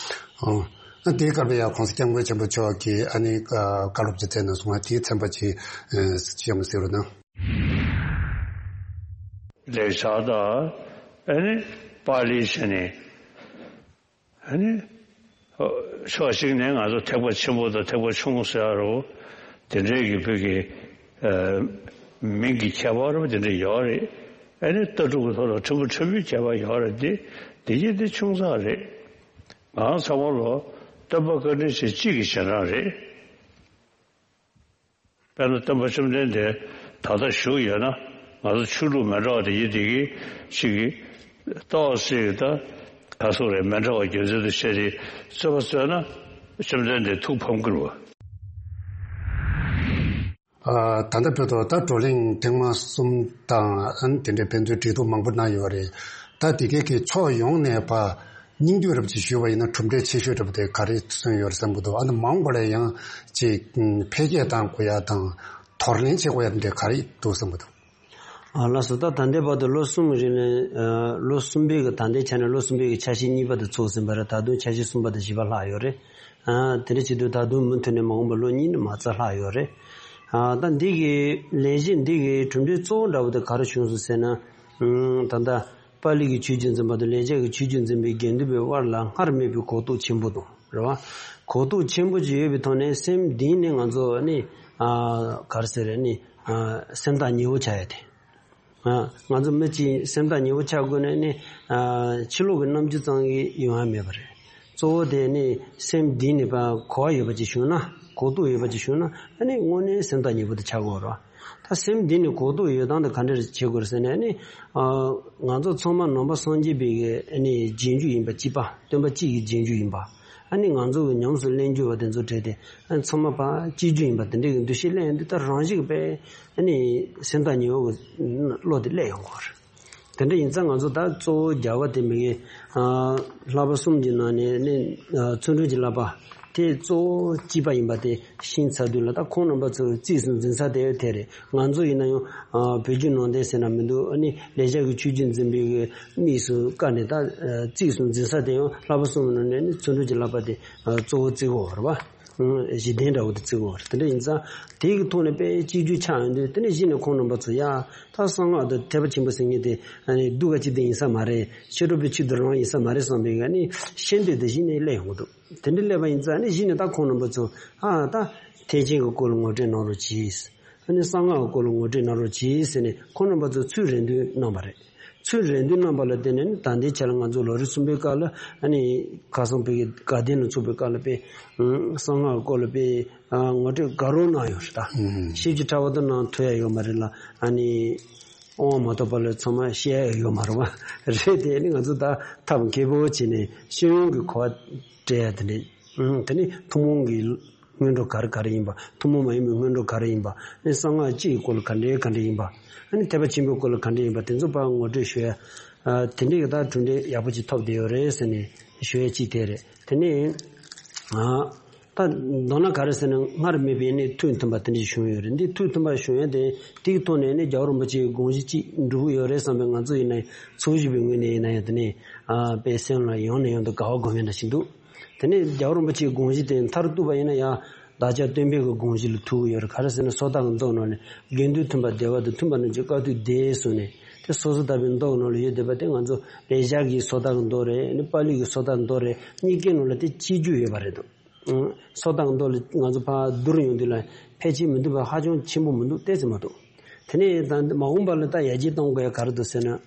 ཨང་། ཨ་དེའི་སྐབས་ལ་ཡང་གོང་ས་སྐྱབས་མགོན་ཆེན་པོ་མཆོག་གིས་ཨ་ནི་བཀའ་སློབ་ཅིག་སྩལ་གནང་སོང་བ། དེའི་ཚན་པ་ཅིག་ཨ་བཤད་མ་གསལ་རོགས་གནང་། ལེགས་སྦྱར་དང་ཨ་ནི་པཱ་ལིའི་ཆ་ནས། ཨ་ནི། ཕྱོགས་གཅིག་ནས་ང་ཚོ་ཐེག་པ་ཆེན་པོ་དང་ཐེག་པ་ཆུང་ངུ་ཟེར་ཡ་རོ། དེ་འདྲའི་གི་བོད་ཀྱི་ཨ་མིང་གི་ཁྱད་པར་དེ་འདྲ་ཡོད་རེད། ཨ་ནི་ལྟ་གྲུབ་ཀྱི་ཐོག་ལ་ཕྲན་བུ་ཕྲན་བུའི་ཁྱད་པར་ཡོད་རེད་དེ། དེ་གྱིས་དེ་ཆུང་ཙག་རེད། ང་ཚང་མ་ལོ་སྟོན་པ་བཀའ་དྲིན་ཆེ་གཅིག་གི་ཞལ་འདྲ་རེད། དཔེར་ན་སྟོན་པ་བཅོམ་ལྡན་འདས་ད་ལྟ་བཞུགས་ཡོད་ན། ང་ཚོ་ཆོས་ལུགས་མི་འདྲ་བ་དེ་ཡིན་དེ་གི་ཞིག་གི་ཏོག་ཙམ་ད་ག་སོག་རེད། མི་འདྲ་བ་རྒྱུ་མཚན་དུ་བྱས་ཏེ་རྩོད་པ་རྩོད་ན་བཅོམ་ལྡན་འདས་ཐུགས་ཕམ་གྱི་རེད་བ། ཨ། ད་ལྟ་བོད་དུ་ད་བགྲོ་གླེང་ཐེངས་མ་གསུམ་དང་ཨ་ནི་དེ་འདྲའི་ཕན་ཚུན་འབྲེལ་གཏུག་མང་པོ་གནང་ཡོད་རེད། ད་དེ་གའི་གི་ཕྱོགས་ཡོངས་ནས་ཕར་སྙིང་བསྡུས་རབ་ཅིག་ཞུས་པ་ཡིན་ན་གྲུབ་འབྲས་ཆེ་ཤོས་འདྲ་པོ་དེ་ག་རེ་སོན་ཡོད་རེད་བསམ་གྱི་འདུག་ཨ་ནི་མ་འོངས་པ་ལ་ཡང་ཅིག་འཕེལ་རྒྱས་གཏང་དགོས་ཡ་དང་དོར་ལེན་བྱེད་དགོས་ཡ་དེ་འདྲ་ག་རེ་འདུག་བསམ་གྱི་འདུག་ཨ། ལགས་སོ། ད་ད་ལྟའི་བར་དུ་ལོ་གསུམ་གྱི་རིང་ལ། ཨ། ལོ་གསུམ་པའི་གི་ད་ལྟའི་ཆ་ནས་ལོ་གསུམ་པའི་གི་འཆར་གཞི་གཉིས་པ་དེ་ཚུགས་ཟིན་པ་རེད། ད་དུང་འཆར་གཞི་གསུམ་པ་དང་བཞི་པ་ལྷག་ཡོད་རེད། ཨ། དེ་འདྲ་བྱེད་དུས་ད་དུང་མུ་མཐུད་ནས་མ་འོངས་པ་ལོ་གཉིས་ནས་མ་རྩ་ལྷག་ཡོད་རེད། ཨ། ད་འདི་གི་ལས་གཞི་འདི་གི་གྲུབ་འབྲས་གཙོ་བོ་འདྲ་བོ་དེ་ག་རེ་བྱུང་སོང་ཟེར་ན། ཨ། ད་ལྟ་པཱ་ལི་གི་ཆོས་བརྒྱུད་འཛིན་པ་དང་ལེགས་སྦྱར་གྱི་ཆོས་བརྒྱུད་འཛིན་པའི་དགེ་འདུན་པའི་དབར་ལ་སྔར་མེད་པའི་གོ་རྟོགས་ཆེན་པོ་དང་རེད་བ། གོ་རྟོགས་ཆེན་པོ་ཅིག་ཡོད་པའི་ཐོག་ནས་སེམས་གཏིང་ནས་ང་ཚོ་ནི། ཨ། ག་རེ་ཟེར་རེད། ནི། ཨ། སེམས་ཐག་ཉེ་བོ་ཆགས་ཡ་དེ། ཨ། ང་ཚོ་མི་གཅིག་སེམས་ཐག་ཉེ་བོ་ཆགས་དགོས་ནས་ནི། ཨ། ཕྱི་ལོགས་ཀྱི་རྣམ་འགྱུར་ཙམ་གྱིས་ཡོང་ཡ་མེད་པ་རེད། གཙོ་བོ་དེ་ནི་སེམས་གཏིང་ནས་ཕར་གོ་བ་ཡོད་པ་ཅིག་བྱུང་ན། གོ་རྟོགས་ཡོད་པ་ཅིག་བྱུང་ན། ཨ་ནི་དངོས་གནས་སེམས་ཐག་ཉེ་བོ་དེ་ཆགས་དགོས་རེད། ད་སེམས་འདི་ནི་གོ་རྟོགས་ཡོད་སྟངས་དེ་ག་འདྲ་བྱེད་དགོས་རེད་ཟེར་ན་ནི། ཨ། ང་ཚོ་ཚང་མ་ནང་པ་སངས་རྒྱས་པའི་གི་ཨ་ནི་རྗེས་འཇུག་ཡིན་པ་གཅིག་པ། སྟོན་པ་གཅིག་གི་རྗེས་འཇུག་ཡིན་པ། ཨ་ནི་ང་ཚོ་གི་ཉམས་སུ་ལེན་རྒྱུ་བ་དེ་ཚོ་གྲས་དེ། ཨ། ཚང་མ་ཕར་གཅིག་གྱུར་ཡིན་པ་དེ་འདྲའི་གི་འདུ་ཤེས་སླེབས་ཡོང་དུས། ད་རང་བཞིན་གྱི་དཔེ་ཨ་ནི་སེམས་ཐག་ཉེ་བོ་གི་བློ་དེ་སླེབས་ཡོང་གི་རེད། དེ་འདྲ་ཡིན་ཙང་ང་ཚོ་ད་གཙོ་བོ་རྒྱལ་བ་དེ་མི་གི། ཨ། བསླབ་པ་གསུམ་གྱི་ནང་ནས་ནི། ཨ། བརྩོན་འགྲུས་ཀྱི་བསླབ་པ་དེ་གཙོ་བོ་གཅིག་པ་ཡིན་པ་དེ་ཤེས་ཚར་དུས་ལ། ད་ཁོང་རྣམ་པ་ཚོ་གཙིགས་སུ་འཛིན་ས་དེ་དེ་རེད། ང་ཚོ་ཡིན་ན་ཡང་། ཨ། བོད་བརྒྱུད་ནང་བསྟན་ཟེར་ན་མི་འདུག་ཨ་ནི་ལེགས་སྦྱར་གྱི་ཆོས་བརྒྱུད་འཛིན་པའི་གི་དམིགས་སུ་བཀར་ནས། ད། ཨ། གཙིགས་སུ་འཛིན་ས་དེ་ཡང་བསླབ་པ་གསུམ་ནང་ནས་ནི་བརྩོན་འགྲུས་ཀྱི་བསླབ་པ་དེ། ཨ། གཙོ་བོ་བརྩི་གི་ཡོད་རེད་བ། གཞི་རྟེན་འདྲ་བོ་དེ་བརྩི་གི་ཡོད་རེད། དེ་འདྲ་ཡིན་ཙང་དེ་གི་ཐོག་ནས་དཔེ་གཅིག་གྱུར་ཆགས་ཡོང་དུས། དེ་ནས་གཞི་ནས་ཁོང་རྣམ་པ་ཚོ་ཡ། ད་གསང་སྔགས་དང་ཐེག་པ་ཆེན་པོ་ཟེར་མཁན་དེ་ཨ་ནི་སྡུག་ག་ཅིག་དེ་ཡིན་ས་མ་རེད། ཕྱི་དྲོ་པའི་ཆེད་དུ་རང་ཡིན་ས་མ་རེད་བསམ་པའི་ཨ་ནི་ཤེས་འདོད་དེ་གཞི་ནས་སླེབས་ཡོང་གི་འདུག་དེ་འདྲ་སླེབས་པ་ཡིན་ཙང་ཨ་ནི་གཞི་ནས་ད་ཁོང་རྣམ་པ་ཚོ། ཨ། ད་ཐེག་ཆེན་གྱི་སྐོར་ལ་ངོ་སྤྲོད་གནང་རོགས་གྱིས། ཨ་ནི་གསང་སྔགས་ཀྱི་སྐོར་ལ་ངོ་སྤྲོད་གནང་རོགས་གྱིས་ཟེར་ནས་ཁོང་རྣམ་པ་ཚོ་ཚུར་རེ་འདུན་གནང་བ་རེད། ཚུར་རེ་འདུན་གནང་བ་ལ་བརྟེན་ནས་ནི་ད་ལྟའི་ཆ་ལ་ང་ཚོ་ལོ་རེ་གསུམ་པའི་སྐབས་ལ། ཨ་ནི་ཁ་སང་བོད་ཀྱི་དགའ་ལྡན་ལ་ཚོགས་པའི་སྐབས་ལ་དཔེ། ཨ། གསང་སྔགས་ཀྱི་སྐོར་ལ་དཔེ། ཨ། ངོ་སྤྲོད་དགའ་རབ་གནང་ཡོད་རེད་ད། ཨུམ། ཞིབ་ཅིག་ཕྲ་བ་དུ་གནང་ཐུབ་ཡ་ཡོད་མ་རེད་ལ། ཨ་ནི་དབང་མ་ཐོབ་པ་ལ་ཚང་མ་བཤད་ཡ་ཡོད་མ་རེད་བ། རེད་དེ། ཨ་ནི་ང་ཚོ་ད་ཐབས་མཁས་པོ་བྱས་ནས་ཤེས་ཡོན་གྱི་གོ་བ་སྤྲད་ཡ་དེ་འདྲ། ཨུམ། དེ་ནི་ཐུན་མོང་གི་སྔོན་འགྲོ་ག་རེ་ག་རེ་ཡིན་པ། ཐུན་མོང་མ་ཡིན་པའི་སྔོན་འགྲོ་ག་རེ་ཡིན་པ། ཨ་ནི་གསང་སྔགས་སྤྱི་ཡི་སྐོར་ལ་ག་འདྲའི་ག་འདྲ་ཡིན་པ། ཨ་ནི་ཐེག་པ་ཆེན་པོའི་སྐོར་ལ་ག་འདྲ་ཡིན་པ། དེ་ཚོ་ཕར་ངོ་སྤྲོད་ཞུ་ཡ། ཨ། དེ་འདྲའི་གི་ད་གྲུབ་འབྲས་ཡག་པོ་ཅིག་ཐོབ་བསྡད་ཡོད་རེད་ཟེར་ནས་ཞུ་ཡ་གཅིག་དེ་རེད། དེ་ནས། ཨ། ད་མདོར་ན་ག་རེ་ཟེར་ན། སྔར་མེད་པའི་ནི་ཐུགས་མཐུན་པ་དེ་འདྲ་ཞིག་བྱུང་ཡོད་རེད། འདི་ཐུགས་མཐུན་པ་བྱུང་ཡ་དེ། དེའི་ཐོག་ནས་ནི་རྒྱལ་བ་རིན་པོ་ཆེའི་དགོངས་གཞི་གཅིག་འགྲུབ་ཀྱི་ཡོད་རེད་བསམ་པའི། ང་ཚོ་ཡིན་ན་ཚོགས་ཞུགས་པའི་ངོས་ནས་ཡིན་ན་ཡང་དེ་ནས། ཨ། དཔེ་སེམས་ལ་ཡང་ནས་ཡང་དུ་དགའ་བ་སྒོམ་ཡ་འདྲ་ཞིག་འདུག་དེ་ནས་རྒྱལ་བ་རིན་པོ་ཆེའི་དགོངས་གཞི་དེ་མཐར་གཏུགས་པ་ཡིན་ན་ཡང་བདག་ཅག་སྟོན་པའི་གི་དགོངས་གཞི་ལ་ཐུག་གི་ཡོད་རེད། ག་རེ་ཟེར་ན། སོ་ཐར་གྱི་མདོ་ནང་ནས་དགེ་འདུན་མཐུན་པ་བདེ་བ་དང་། མཐུན་པ་རྣམས་ཀྱི་དཀའ་ཐུབ་བདེ་གསུངས་ནས། དེ་སོ་སོ་ལྟ་བུའི་མདོ་ནང་ལ་ཡོད་བསྡད་པ་དེ་ང་ཚོ་ལེགས་སྦྱར་གྱི་སོ་ཐར་གྱི་མདོ་རེད། ཨ་ནི་པཱ་ལི་གི་སོ་ཐར་གྱི་མདོ་རེད། གཉིས་ཀའི་ནང་ལ་དེ་གཅིག་གྱུར་ཡོད་པ་རེད་འདུག་སོ་ཐར་གྱི་མདོ་ལ་ང་ཚོ་ཕར་བསྡུར་ཡོང་དུས་ལ་ཕལ་ཆེར་མི་འདུག་པ་ཧ་ཅང་ཆེན་པོ་མི་འདུག་ཏོག་ཙམ་མ་གཏོགས། དེ་ནས་ད་མ་འོངས་པ་ལ་ད་ཡར་རྒྱས་གཏོང་དགོས་ཡ་ག་རེ་འདུག་ཟེར་ན།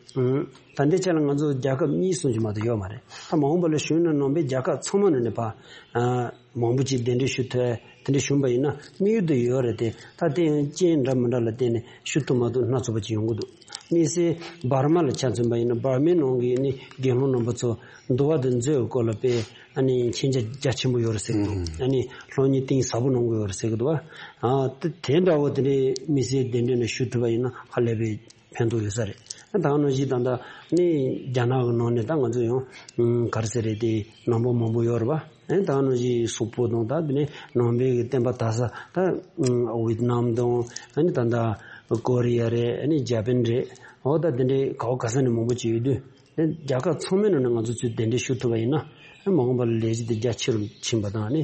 ད་ལྟའི་ཆ་ལ་ང་ཚོ་རྒྱལ་ཁབ་གཉིས་གསུམ་ཅིག་མ་གཏོགས་ཡོད་མ་རེད། ད་མ་འོངས་པ་ལ་གཞོན་ནུ་ནང་པའི་རྒྱལ་ཁབ་ཚང་མ་ནང་ནས་ཕར། ཨ། མང་པོ་ཅིག་གདན་འདྲེན་ཞུ་ཐུབ་ཡ་དེ་འདྲ་བྱུང་པ་ཡིན་ན་དམིགས་ཡུལ་དུ་ཡོད་རེད་དེ། ད་དེ་ཡང་རྐྱེན་འདྲ་མི་འདྲ་ལ་བརྟེན་ནས་ཞུ་ཐུབ་མ་ཐུབ་སྣ་ཚོགས་པ་ཅིག་ཡོང་གི་འདུག་དམིགས་བསལ་འབར་མ་ལ་ཆ་མཚོན་པ་ཡིན་ན། འབར་མའི་ནང་གི་ནི་དགེ་སློང་རྣམ་པ་ཚོ་འདུལ་བ་དང་མཛོད་ཀྱི་སྐོར་ལ་དཔེ་ཨ་ནི་མཁྱེན་རྒྱ་རྒྱ་ཆེན་པོ་ཡོད་རེད་ཟེར་གི་འདུག་ཨ་ནི་སློབ་གཉེར་གཏིང་ཟབ་པོ་གནང་གི་ཡོད་རེད་ཟེར་གི་འདུག་བ། ཨ། དེ་དེ་འདྲ་བོ་དེ་འདྲའི་དམིགས་བསལ་གདན་འདྲེན་ལ་ཞུ་ཐུབ་པ་ཡིན་ན་ཧ་ལས་པའི་ཕན་ཐོགས་ཡོད་ས་རེད། ད་ནང་བཞིན་ད་ལྟ་ནི་རྒྱ་ནག་གི་ནང་ནས་ད་ང་ཚོ་ཡང་ག་རེ་ཟེར་རེད། དེ་ནང་པ་མང་པོ་ཡོད་རེད་པ། ཨ་ནི་ད་ནང་བཞིན་སོག་པོ་དང་། ད་དེ་ནས་ནང་པའི་གི་བསྟན་པ་དར་ས་ད་ཝེ་ཏི་ནམ་དང་། ཨ་ནི་ད་ལྟ་ཀོ་རི་ཡ་རེད། ཨ་ནི་ཇ་པན་རེད། འོ་ད་དེ་འདྲའི་ག་བ་ག་ས་ནས་མང་པོ་ཅིག་ཡོད་དུས། ཨ་ནི་རྒྱལ་ཁབ་ཚང་མའི་ནང་ནས་ང་ཚོ་ཚུར་གདན་འདྲེན་ཞུ་ཐུབ་པ་ཡིན་ན། ཨ་ནི་མ་འོངས་པ་ལ་ལས་གཞི་དེ་རྒྱ་ཆེ་རུ་ཕྱིན་པ་དང་། ཨ་ནི་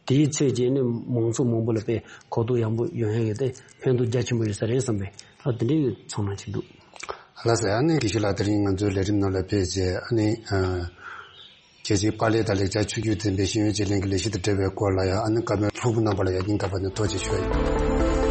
དེའི་ཚད་ཀྱིས་ནི་མང་ཚོགས་མང་པོ་ལ་དཔེ་གོ་རྟོགས་ཡག་པོ་ཡོང་ཡག་གི་དེ་ཕན་ཐོགས་རྒྱ་ཆེན་པོ་ཡོད་ས་རེད་བསམ་པའི། ཨ། དེ་འདྲའི་ཚོར་སྣང་ཅིག་འདུག་ལགས་སོ། ཨ་ནི་དགེ་བཤེས་ལགས་དེ་རིང་ང་ཚོའི་ལས་རིམ་ནང་ལ་ཕེབས་རྗེས། ཨ་ནི། ཨ། རྒྱལ་སྤྱིའི་པཱ་ལི་དང་ལེགས་སྦྱར་ཆོས་བརྒྱུད་འཛིན་པའི་ཤེས་ཡོན་བརྗེ་ལེན་གྱི་ལས་གཞི་དང་འབྲེལ་བའི་སྐོར་ལ་ཡང་། ཨ་ནི་བཀའ་མོལ་ལྷུག་པོ་གནང་བ་ལ་ཡང་སྙིང་ཐག་པ་ནས་ཐུགས་རྗེ་ཆེ་ཞུ་ཡ་ཡིན།